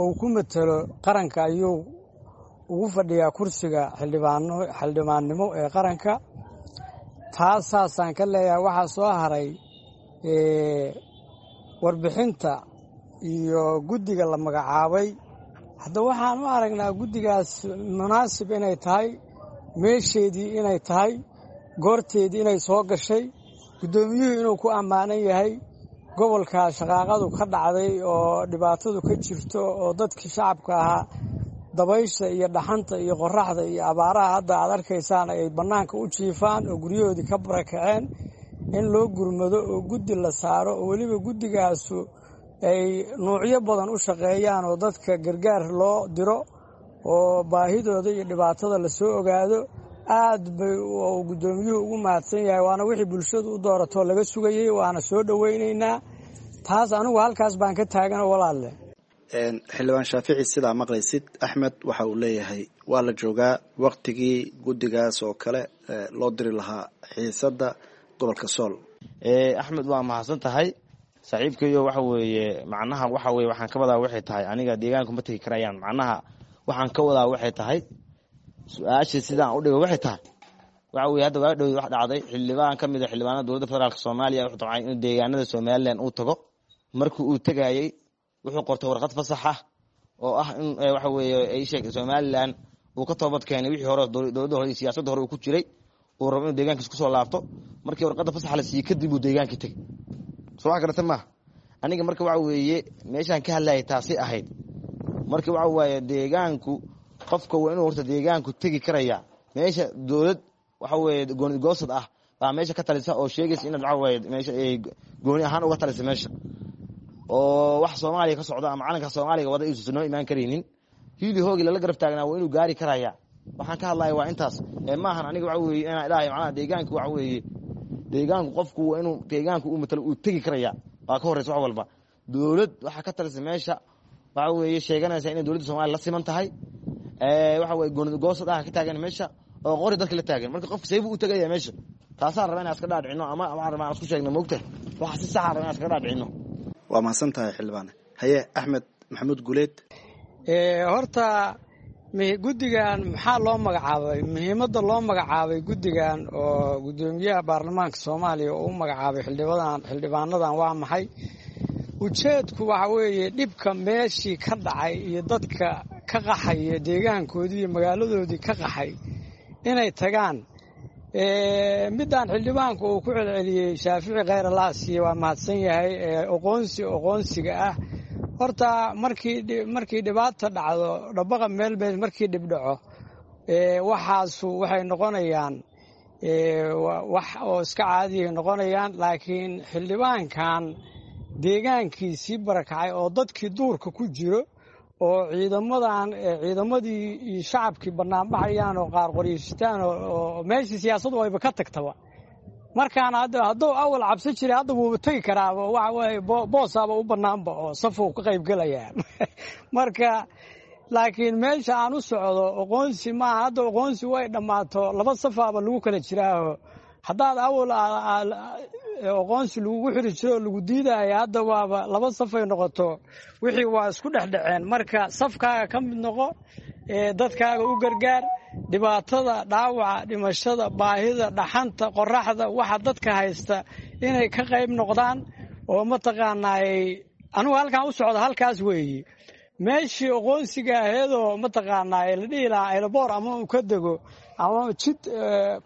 Speaker 23: uu ku matalo qaranka ayuu ugu fadhiyaa kursiga xildhibaannimo ee qaranka. Taas saasaan ka leeyahay. Waxaa soo haray warbixinta iyo guddiga la magacaabay. Hadda waxaan u aragnaa guddigaas munaasib inay tahay, meesheedii inay tahay, goorteedii inay soo gashay, guddoomiyuhu inuu ku ammaanan yahay. Gobolka shaqaaqadu ka dhacday oo dhibaatadu ka jirto oo dadkii shacabka ahaa dabaysha iyo dhaxanta iyo qoraxda iyo abaaraha hadda aad arkaysaan ay bannaanka u jiifaan oo guryahoodii ka barakaceen, in loo gurmado oo guddi la saaro oo weliba guddigaasu ay nuucyo badan u shaqeeyaan oo dadka gargaar loo diro oo baahidooda iyo dhibaatada lasoo ogaado. Aad bay uu guddoomiyuhu ugu mahadsan yahay, waana wixii bulshadu u dooratoo laga sugayey, waana soo dhoweynaynaa taas. Anigu halkaas baan ka taaganoo walaalle.
Speaker 4: Xildhibaan Shaafici, sidaa maqlaysid Axmed waxa uu leeyahay waa la joogaa waktigii guddigaas oo kale loo diri lahaa xiisadda gobolka Sool.
Speaker 22: Axmed, waa mahadsan tahay saaxiibkayo. Waxa weeye macnaha waxa weye waxaan ka wadaa waxay tahay aniga deegaanku ma tegi karayaan. Macnaha waxaan ka wadaa waxay tahay su-aasha sidaan u dhigo waxay tahay waxa weye hadda waa dhow wax dhacday xildhibaan ka mid a xildhibaanada dowladda federaalka Soomaaliya wuxuu damcay inuu deegaanada Somaliland uu tago. Markii uu tegayey wuxuu qortay warqad fasax ah oo ah in waxa weeye ay sheegtay Somaliland uu ka toobad keenay wixii hore dowladda hore iyo siyaasadda hore uu ku jiray, uu rabo inuu deegaankiisa kusoo laabto. Markii warqadda fasaxa la siiyey kadib uu deegaankii tegey. Soo wax garata maaha. Aniga marka waxa weeye meeshaan ka hadlayay taasi ahayd. Marka waxa waaye deegaanku qofka waa inuu horta deegaanku tegi karaya. Meesha dowlad waxa weeye gooni goosad ah baa meesha ka talisa oo sheegaysa inaad waxa weeye meesha ay gooni ahaan uga talisa meesha, oo wax Soomaaliya ka socda ama calanka Soomaaliga wada isu noo imaan karaynin. Hiili hoogi lala garab taagnaa waa inuu gaari karaya. Waxaan ka hadlaya waa intaas. Maahan aniga waxa weeye inaan ilaahay macnaha deegaanku waxa weeye deegaanku qofku waa inuu deegaanku uu matalo uu tegi karaya. Waa ka horeysa wax walba. Dowlad waxa ka talisa meesha waxa weeye sheeganaysa inay dowladda Soomaaliya la siman tahay, waxa weeye gooni goosad ah ka taagan meesha oo qori dadka la taagan. Marka qofka seebuu u tagaya meesha? Taasaan rabaa inaan iska dhaadhicino ama waxaan rabaa inaan isku sheegno moogta waxa si sax ah rabaa inaan iska dhaadhicino.
Speaker 4: Waa mahadsan tahay xildhibaane. Haye, Axmed Maxamuud Guuleed.
Speaker 23: Horta Guddigan maxaa loo magacaabay? Muhiimadda loo magacaabay guddigan oo guddoomiyaha baarlamaanka Soomaaliya oo u magacaabay xildhibaanadan waa maxay? Ujeedku waxa weeye dhibka meeshii ka dhacay iyo dadka ka qaxaya deegaankoodii iyo magaaladoodii ka qaxay inay tagaan. Midaan xildhibaanku uu ku celceliyey Shaafici kheyr alaasiye waa mahadsan yahay. Oqoonsiga ah horta markii dhibaata dhacdo, dhabaqa meel markii dhib dhaco, waxaasu waxay noqonayaan wax oo iska caadiyay noqonayaan. Laakiin xildhibaankan deegaankiisii barakacay oo dadkii duurka ku jiro oo ciidamadii iyo shacabkii banaanbaxayaan oo qaar qoryeystaan oo meeshii siyaasadu ayba ka tagtaba. Markaana hadduu awal cabsi jiray, hadda wuuba tegi karaaba, waxa weeye boosaaba u bannaanba oo safuu ka qayb gelayaa. Marka laakiin meesha aan u socdo oqoonsi maaha. Hadda oqoonsi way dhammaato, laba safaaba lagu kala jiraaho. Haddaad awal oqoonsi lagugu xiri jiro oo lagu diidaya, hadda waaba laba safay noqoto, wixii waa isku dhexdhaceen. Marka safkaaga ka mid noqo, dadkaaga u gargaar. Dhibaatada, dhaawaca, dhimashada, baahida, dhaxanta, qoraxda, waxa dadka haysta inay ka qayb noqdaan oo mataqaanaay anugu halkaan u socda halkaas weeye. Meeshii oqoonsiga aheedoo mataqaanaa la dhihi lahaa aeroboor ama uu ka dego ama jid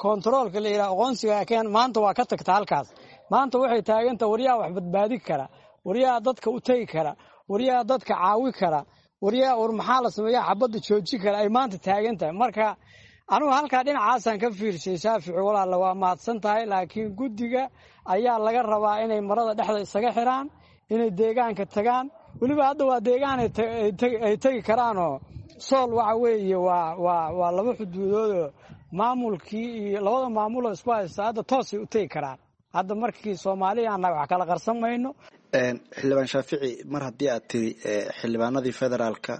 Speaker 23: kontaroolka la yidhaha oqoonsiga keen, maanta waa ka tagta halkaas. Maanta waxay taaganta waryaha wax badbaadi kara, waryaha dadka u tegi kara, waryaha dadka caawi kara, waryaha war maxaa la sameeyaa xabadda jooji kara ay maanta taagan tahay. Marka anugu halkaa dhinacaasaan ka fiirshay. Shaafici walaala waa mahadsan tahay, laakiin guddiga ayaa laga rabaa inay marada dhexda isaga xiraan, inay deegaanka tagaan. Weliba hadda waa deegaan ay tegi karaanoo Sool waxa weeye waa laba xuduudoodoo maamulkii iyo labada maamuloo isku haysta hadda toosay u tegi karaan. Hadda markii Soomaaliya annaga wax kala qarsan mayno.
Speaker 4: Xildhibaan Shaafici, mar haddii aad tiri xildhibaanadii federaalka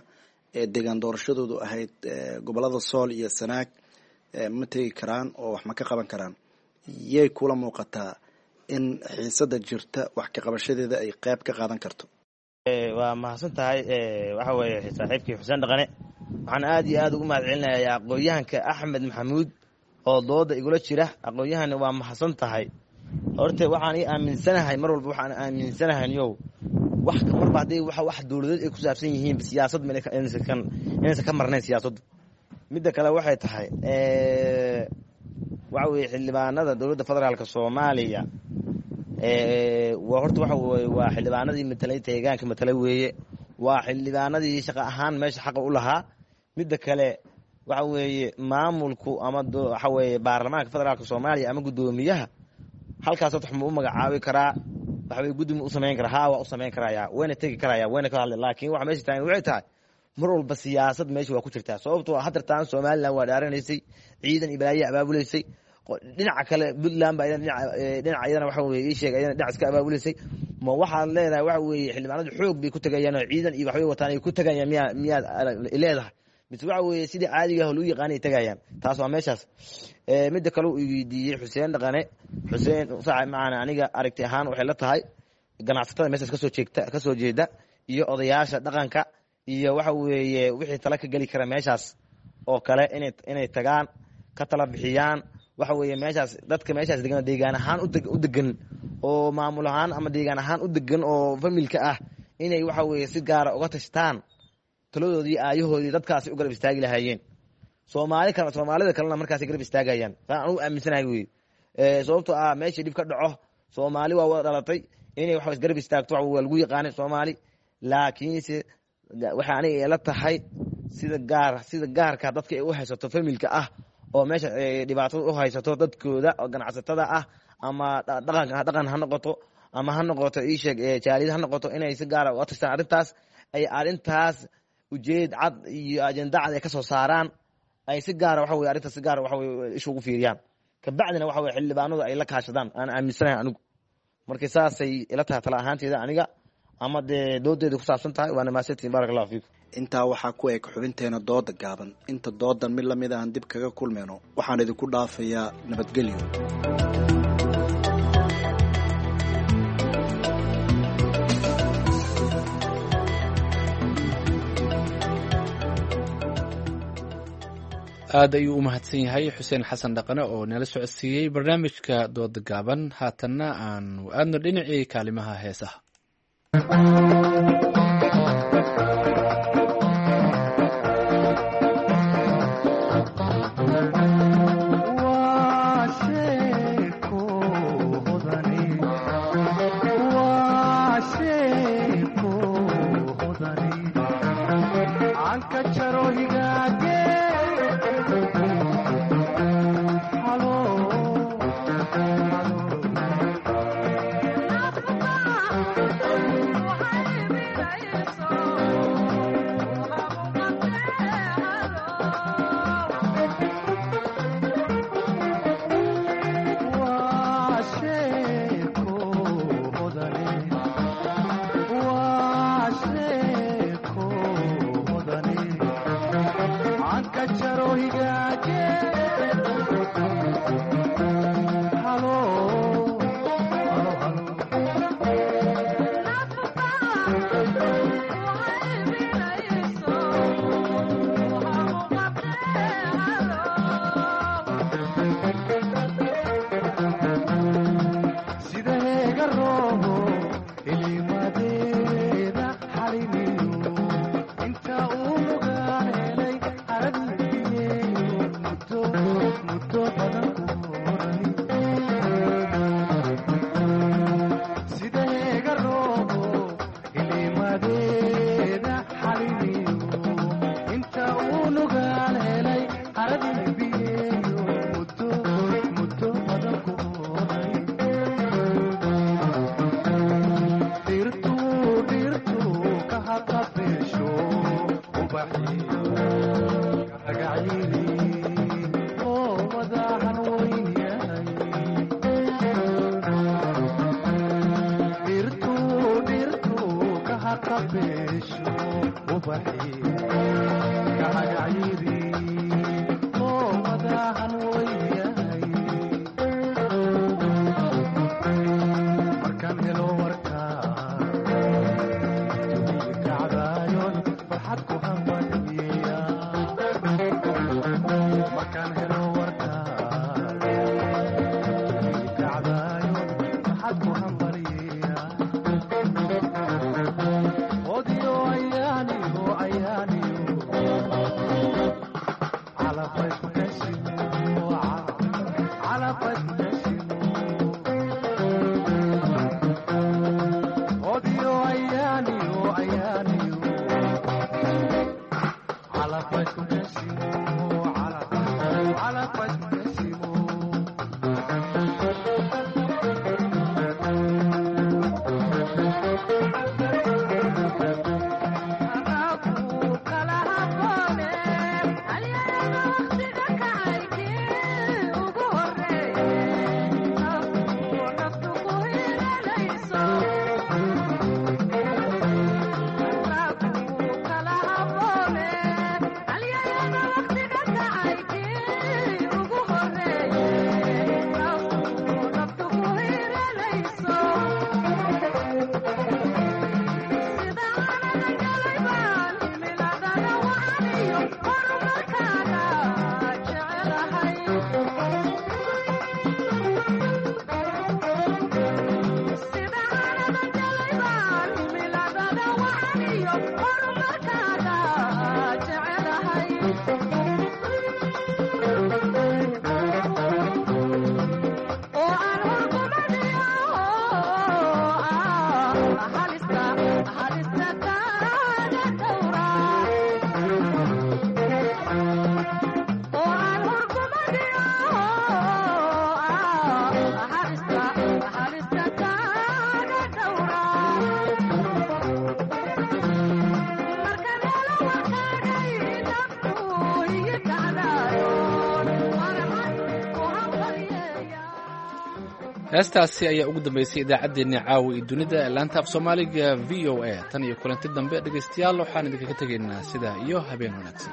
Speaker 4: ee deegaan doorashadoodu ahayd gobolada Sool iyo Sanaag ma tegi karaan oo wax ma ka qaban karaan, yay kula muuqataa in xiisada jirta wax ka qabashadeeda ay qayb ka qaadan karto?
Speaker 22: Waa mahadsan tahay. Waxa weeye saaxiibkii Xuseen Dhaqane, waxaan aad iyo aad ugu mahad celinayaa aqoon-yahanka Axmed Maxamuud oo dooda igula jira. Aqoon-yahanna waa mahadsan tahay. Horta waxaan ii aaminsanahay, mar walba waxaan aaminsanahay niyow, wax marba haddii wax dowladeed ay ku saabsan yihiin siyaasad inaysan ka marnayn siyaasaddu. Midda kale waxay tahay, waxa weeye xildhibaanada dowladda federaalka Soomaaliya waa horta waxa weye waa xildhibaanadii matalay deegaanka matalay weeye, waa xildhibaanadii shaqo ahaan meesha xaqa u lahaa. Midda kale waxa weeye maamulku ama waxa weeye baarlamaanka federaalka Soomaaliya ama guddoomiyaha halkaas horta ma u magacaabi karaa, waxa weye guddi ma u samayn karaa? Haa, waa u samayn karaya, wayna tegi karaya, wayna ka hadli. Laakiin waxa meesha taagan waxay tahay mar walba siyaasad meesha waa ku jirtaa, sababtoo haddartaan Somaliland waa dhaaranaysay, ciidan iyo balaayo abaabulaysay. Dhinaca kale Puntland baa dhinaca iyadana waxa weye ii sheeg iyadana dhinac iska abaabulaysay. Ma waxaad leedahay waxa weeye xildhibaanadu xoog bay ku tagayaan oo ciidan iyo waxbay wataan ay ku tagayaan miyaad leedahay, mise waxa weeye sidii caadiga ah lagu yaqaanay tagayaan? Taas waa meeshaas. Midda kale uu weydiiyey Xuseen Dhaqane, Xuseen saaxib macana, aniga aragti ahaan waxay la tahay ganacsatada meeshaas kasoo jeegta kasoo jeeda iyo odayaasha dhaqanka iyo waxa weeye wixii tala ka geli kara meeshaas oo kale inay tagaan ka tala bixiyaan. Waxa weeye meeshaas dadka meeshaas degan, deegaan ahaan u degan oo maamul ahaan ama deegaan ahaan u degan oo familka ah, inay waxa weeye si gaara uga tashtaan taladoodii aayahoodii dadkaasi u garab istaagi lahaayeen. Soomaali kale, Soomaalida kalena markaasay garab istaagayaan, saan anugu aaminsanahay wey. Sababtoo ah meeshii dhib ka dhaco Soomaali waa wada dhalatay, inay wax isgarab istaagto waa lagu yaqaanay Soomaali. Laakiinse waxa aniga ila tahay sida gaarka dadka ay u haysato familka ah oo meesha dhibaatada u haysato dadkooda oo ganacsatada ah ama dhaqan ha noqoto ama ha noqoto ii sheeg jaaliyad ha noqoto, inay si gaara uga tashtaan arrintaas, ay arrintaas ujeed cad iyo ajenda cad ay ka soo saaraan, ay si gaara waxa weye arrintaas si gaara waxa weye isha ugu fiiriyaan, kabacdina waxa weye xildhibaanadu ay la kaashadaan aan aaminsanahay anigu. Marka saasay ila tahay tala ahaanteeda aniga ama dee doodeeda ku saabsan tahay. Waana mahadsantihin, barak allahu fiikum.
Speaker 4: Intaa waxaa ku eg xubinteena dooda gaaban. Inta doodan mid lamid ahan dib kaga kulmayno, waxaan idinku dhaafayaa nabadgelyo.
Speaker 1: Aad ayuu u mahadsan yahay Xuseen Xasan Dhaqane oo nala socodsiiyey barnaamijka dooda gaaban. Haatanna aanu aadno dhinacii kaalimaha heesaha. Heestaasi ayaa ugu dambeysay idaacaddeenni caawa iyo dunida ee laanta af soomaaliga v o a. Tan iyo kulanti dambe dhegaystayaal, waxaan idinkaga tegaynaa sidaa iyo habeen wanaagsan.